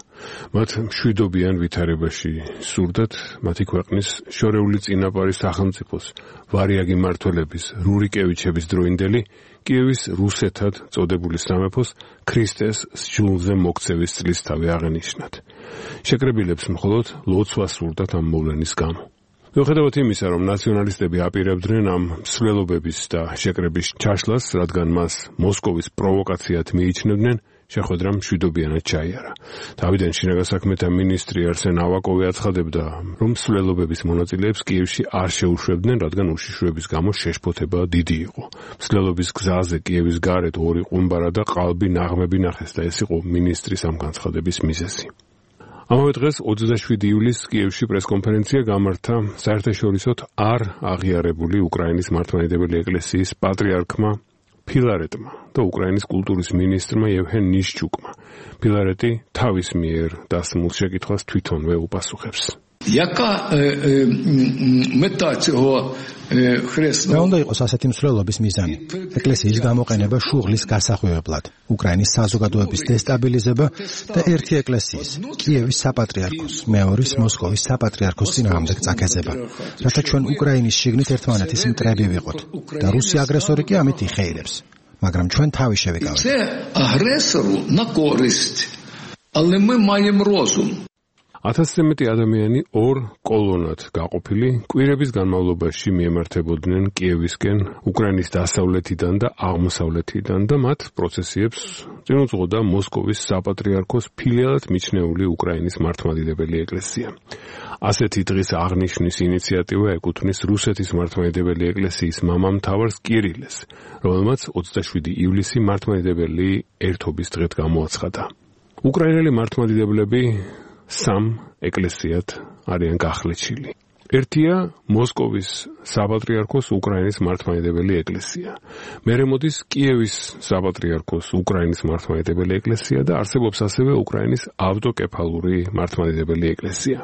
მათ მშვიდობიან ვითარებაში სურდათ მათი ქვეყნის შორეული წინაპარის სახელმწიფოს ვარიაგი მმართველების რურიკევიჩების დროინდელი კიევის რუსეთად წოდებული სამეფოს ქრისტეს სჯულზე მოქცევის წლისთავი აღენიშნათ. შეკრებილებს მხოლოდ ლოცვა სურდათ ამ მოვლენის გამო. მიუხედავად იმისა, რომ ნაციონალისტები აპირებდნენ ამ მსვლელობების და შეკრების ჩაშლას, რადგან მას მოსკოვის პროვოკაციად მიიჩნევდნენ, შეხვედრა მშვიდობიანად ჩაიარა. თავიდან შინაგან საქმეთა მინისტრი არსენ ავაკოვი აცხადებდა, რომ მსვლელობების მონაწილეებს კიევში არ შეუშვებდნენ, რადგან უშიშროების გამო შეშფოთება დიდი იყო. მსვლელობის გზაზე კიევის გარეთ ორი ყუმბარა და ყალბი ნაღმები ნახეს და ეს იყო მინისტრის ამ განცხადების მიზეზი. ამავე დღეს ოცდაშვიდი ივლისს კიევში პრესკონფერენცია გამართა საერთაშორისოდ არ აღიარებული უკრაინის მართლმადიდებელი ეკლესიის პატრიარქმა ფილარეტმა და უკრაინის კულტურის მინისტრმა ევგენ ნიშჩუკმა. ფილარეტი თავის მიერ დასმულ შეკითხვას თვითონვე უპასუხებს. Яка мета цього ხრესნო? რა უნდა იყოს ასეთი მსვლელობის მიზანი? ეკლესიის გამოყენება შუღლის გასახვევებლად, უკრაინის საზოგადოების დესტაბილიზება და ერთი ეკლესიის, კიევის საპატრიარქოს, მეორის მოსკოვის საპატრიარქოს წინააღმდეგ წაქეზება, რათა ჩვენ უკრაინის შიგნით ერთმანეთის მტრები ვიყოთ და რუსი აგრესორი კი ამით იხეირებს, მაგრამ ჩვენ თავი შევიკავეთ. Це агресору на користь, але ми маємо розум. ათასზე მეტი ადამიანი ორ კოლონად გაყოფილი კვირების განმავლობაში მიემართებოდნენ კიევისკენ, უკრაინის დასავლეთიდან და აღმოსავლეთიდან და მათ პროცესიებს წინ უძღოდა მოსკოვის საპატრიარქოს ფილიალად მიჩნეული უკრაინის მართლმადიდებელი ეკლესია. ასეთი დღის აღნიშვნის ინიციატივა ეკუთვნის რუსეთის მართლმადიდებელი ეკლესიის მამამთავარს კირილეს, რომელმაც ოცდაშვიდი ივლისი მართლმადიდებელი ერთობის დღედ გამოაცხადა. უკრაინელი მართლმადიდებლები სამ ეკლესიად არიან გახლეჩილი. ერთია მოსკოვის საპატრიარქოს უკრაინის მართლმადიდებელი ეკლესია. მერე მოდის კიევის საპატრიარქოს უკრაინის მართლმადიდებელი ეკლესია და არსებობს ასევე უკრაინის ავტოკეფალური მართლმადიდებელი ეკლესია.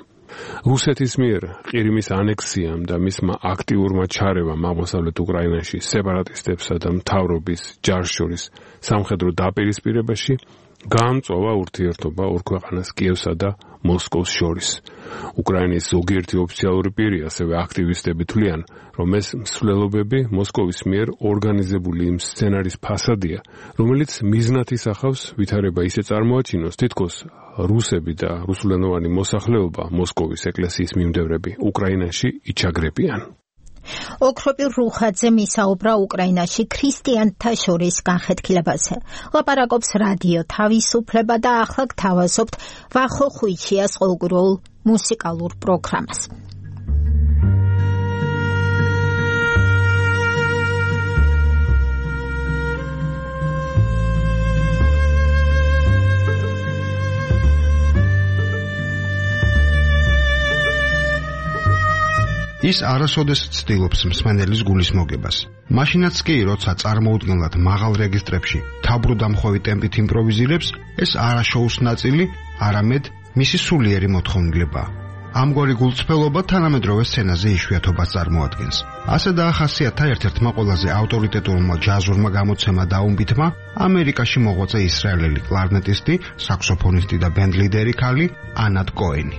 რუსეთის მიერ ყირიმის ანექსიამ და მისმა აქტიურმა ჩარევამ აღმოსავლეთ უკრაინაში სეპარატისტებსა და მთავრობის ჯარს შორის სამხედრო დაპირისპირებაში გაამწვავა ურთიერთობა ორ ქვეყანას კიევსა და მოსკოვს შორის. უკრაინის ზოგიერთი ოფიციალური პირი, ასევე აქტივისტები თვლიან, რომ ეს მსვლელობები მოსკოვის მიერ ორგანიზებული იმ სცენარის ფასადია, რომელიც მიზნად ისახავს ვითარება ისე წარმოაჩინოს, თითქოს რუსები და რუსულენოვანი მოსახლეობა მოსკოვის ეკლესიის მიმდევრები უკრაინაში იჩაგრებიან. ოქროპირ რუხაძე მისაუბრა უკრაინაში ქრისტიანთა შორის განხეთქილებაზე. ლაპარაკობს რადიო თავისუფლება და ახლა გთავაზობთ ვახო ხვიჩიას ყოველკვირეულ მუსიკალურ პროგრამას. ის არასოდეს ცდილობს მსმენელის გულის მოგებას. მაშინაც კი, როცა წარმოუდგენლად მაღალ რეგისტრებში თაბრუდამხვევი ტემპით იმპროვიზირებს, ეს არა შოუს ნაწილი, არამედ მისი სულიერი მოთხოვნილებაა. ამგვარი გულწრფელობა თანამედროვე სცენაზე იშვიათობას წარმოადგენს. ასე დაახასიათა ერთ-ერთმა ყველაზე ავტორიტეტურმა ჯაზურმა გამოცემა დაუმბითმა ამერიკაში მოღვაწე ისრაელელი კლარნეტისტი, საქსოფონისტი და ბენდლიდერი ქალი ანატ კოენი.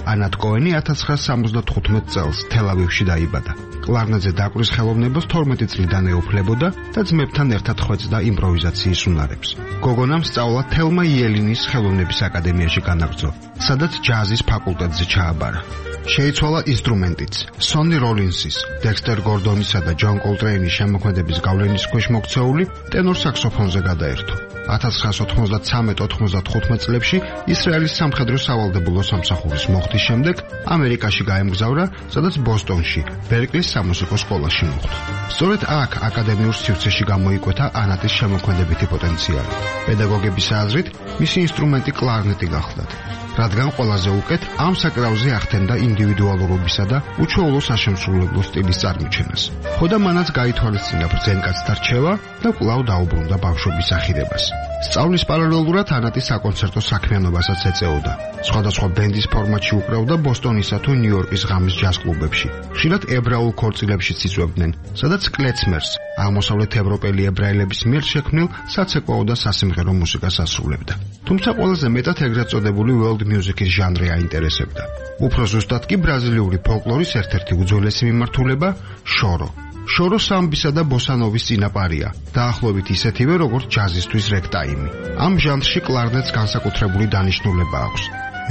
ანატ კოენი ათას ცხრაასი სამოცდათხუთმეტ წელს თელ-ავივში დაიბადა. კლარნეტზე დაკვრის ხელოვნებას თორმეტი წლიდან ეუფლებოდა და ძმებთან ერთად ხვეწდა იმპროვიზაციის უნარებს. გოგონამ სწავლა თელმა იელინის ხელოვნების აკადემიაში განაგრძო, სადაც ჯაზის ფაკულტეტზე ჩააბარა. შეიცვალა ინსტრუმენტიც. სონი როლინსის, დექსტერ გორდონისა და ჯონ კოლტრეინის შემოქმედების გავლენის ქვეშ მოქცეული ტენორ საქსოფონზე გადაერთო. ათას ცხრაასი ოთხმოცდათრამეტ ოთხმოცდათხუთმეტ წლებში ისრაელის სამხედრო სავალდებულო სამსახურის მოხდის შემდეგ ამერიკაში გაემგზავრა, სადაც ბოსტონში, ბერკლის სამუსიკო სკოლაში მოხვდა. სწორედ აქ აკადემიურ სივრცეში გამოიკვეთა ანატის შემოქმედებითი პოტენციალი. პედაგოგების აზრით, მისი ინსტრუმენტი კლარნეტი გახლდათ, რადგან ყველაზე უკეთ ამ საკრავზე ახდენდა ინდივიდუალურობისა და უჩვეულო საშემსრულებლო სტილის წარმოჩენას. ხოდა მანაც გაითვალისწინა ბრძენკაცთა რჩევა და კვლავ დაუბრუნდა ბავშვობის ახირებას. სწავლის პარალელურად ანატი საკონცერტო საქმიანობასაც ეწეოდა. სხვადასხვა ბენდის ფორმატში უკრავდა ბოსტონისა თუ ნიუ-იორკის ღამის ჯაზ კლუბებში. ხშირად ებრაულ ქორწილებშიც იწვევდნენ, სადაც კლეცმერს, აღმოსავლეთ ევროპელი ებრაელების მიერ შექმნილ საცეკვაო და სასიმღერო მუსიკას ასრულებდა. თუმცა ყველაზე მეტად ეგრეთ წოდებული world music-ის ჟანრი აინტერესებდა. უფრო ზუსტად კი ბრაზილიური ფოლკლორის ერთ-ერთი უძველესი მიმართულება შორო. შორო სამბისა და ბოსანოვის წინაპარია, დაახლოებით ისეთივე როგორც ჯაზისთვის რეგტაიმი. ამ ჟანრში კლარნეტს განსაკუთრებული დანიშნულება აქვს.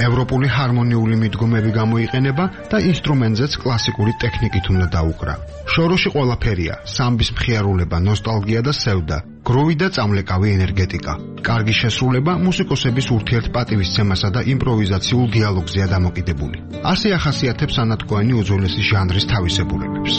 ევროპული ჰარმონიული მიდგომები გამოიყენება და ინსტრუმენტზეც კლასიკური ტექნიკით უნდა დაუკრა. შოროში ყველაფერია: სამბის მხიარულება, ნოსტალგია და სევდა, გროვი და წამლეკავი ენერგეტიკა. კარგი შესრულება მუსიკოსების ურთიერთპატივისცემასა და იმპროვიზაციულ დიალოგზეა დამოკიდებული. ასე ახასიათებს ანატ კოენი უძველესი ჟანრის თავისებურებებს.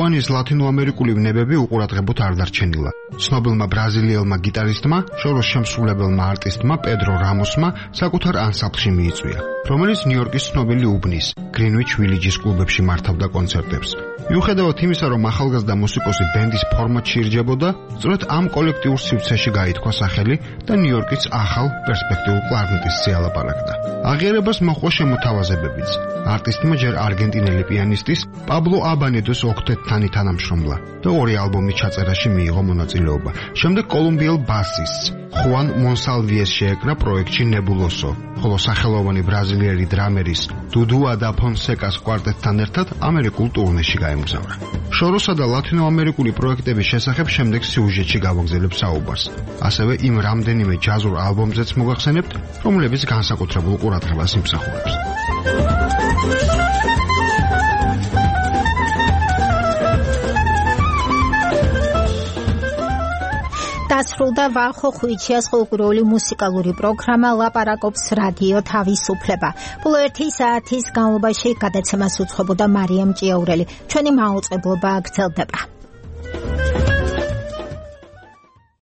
ესპანიის ლათინოამერიკული ვნებები უყურადღებოდ არ დარჩენილა. ცნობილმა ბრაზილიელმა გიტარისტმა, შოროს შემსრულებელმა არტისტმა პედრო რამოსმა საკუთარ ანსამბლში მიიწვია, რომელიც ნიუ-იორკის ცნობილი უბნის გრინვიჩ ვილიჯის კლუბებში მართავდა კონცერტებს. მიუხედავად იმისა, რომ ახალგაზრდა მუსიკოსი ბენდის ფორმატში ირჯებოდა, სწორედ ამ კოლექტიურ სივრცეში გაითქვა სახელი და ნიუ-იორკის ახალ პერსპექტიულ კლარნეტისტზე ალაპარაკდა. აღიარებას მოჰყვა შემოთავაზებებიც. არტისტმა ჯერ არგენტინელი პიანისტის პაბლო აბანედოს ოქტეტთან თანამშრომლა და ორი ალბომის ჩაწერაში მიიღო მონაწილეობა. შემდეგ კოლუმბიელ ბასისტს ხუან მონსალვიეს შეეკრა პროექტში ნებულოსო, ხოლო სახელოვანი ბრაზილიელი დრამერის დუდუა და ფონსეკას კვარტეტთან ერთად ამერიკულ ტურნეში გაემგზავრა. შოროსა და ლათინოამერიკული პროექტების შესახებ შემდეგ სიუჟეტში გავაგზავნებ საუბარს. ასევე იმ რამდენიმე ჯაზურ ალბომზეც მოგახსენებთ, რომლებიც განსაკუთრებულ ყურადღებას იმსახურებს. დასრულდა ვახო ხვიჩიას ხალხური მუსიკალური პროგრამა ლაპარაკობს რადიო თავისუფლება. ბოლო ერთი საათის განმავლობაში გადაცემას უძღვებოდა მარიამ ჭიაურელი. ჩვენი მაუწყებლობა გრძელდება.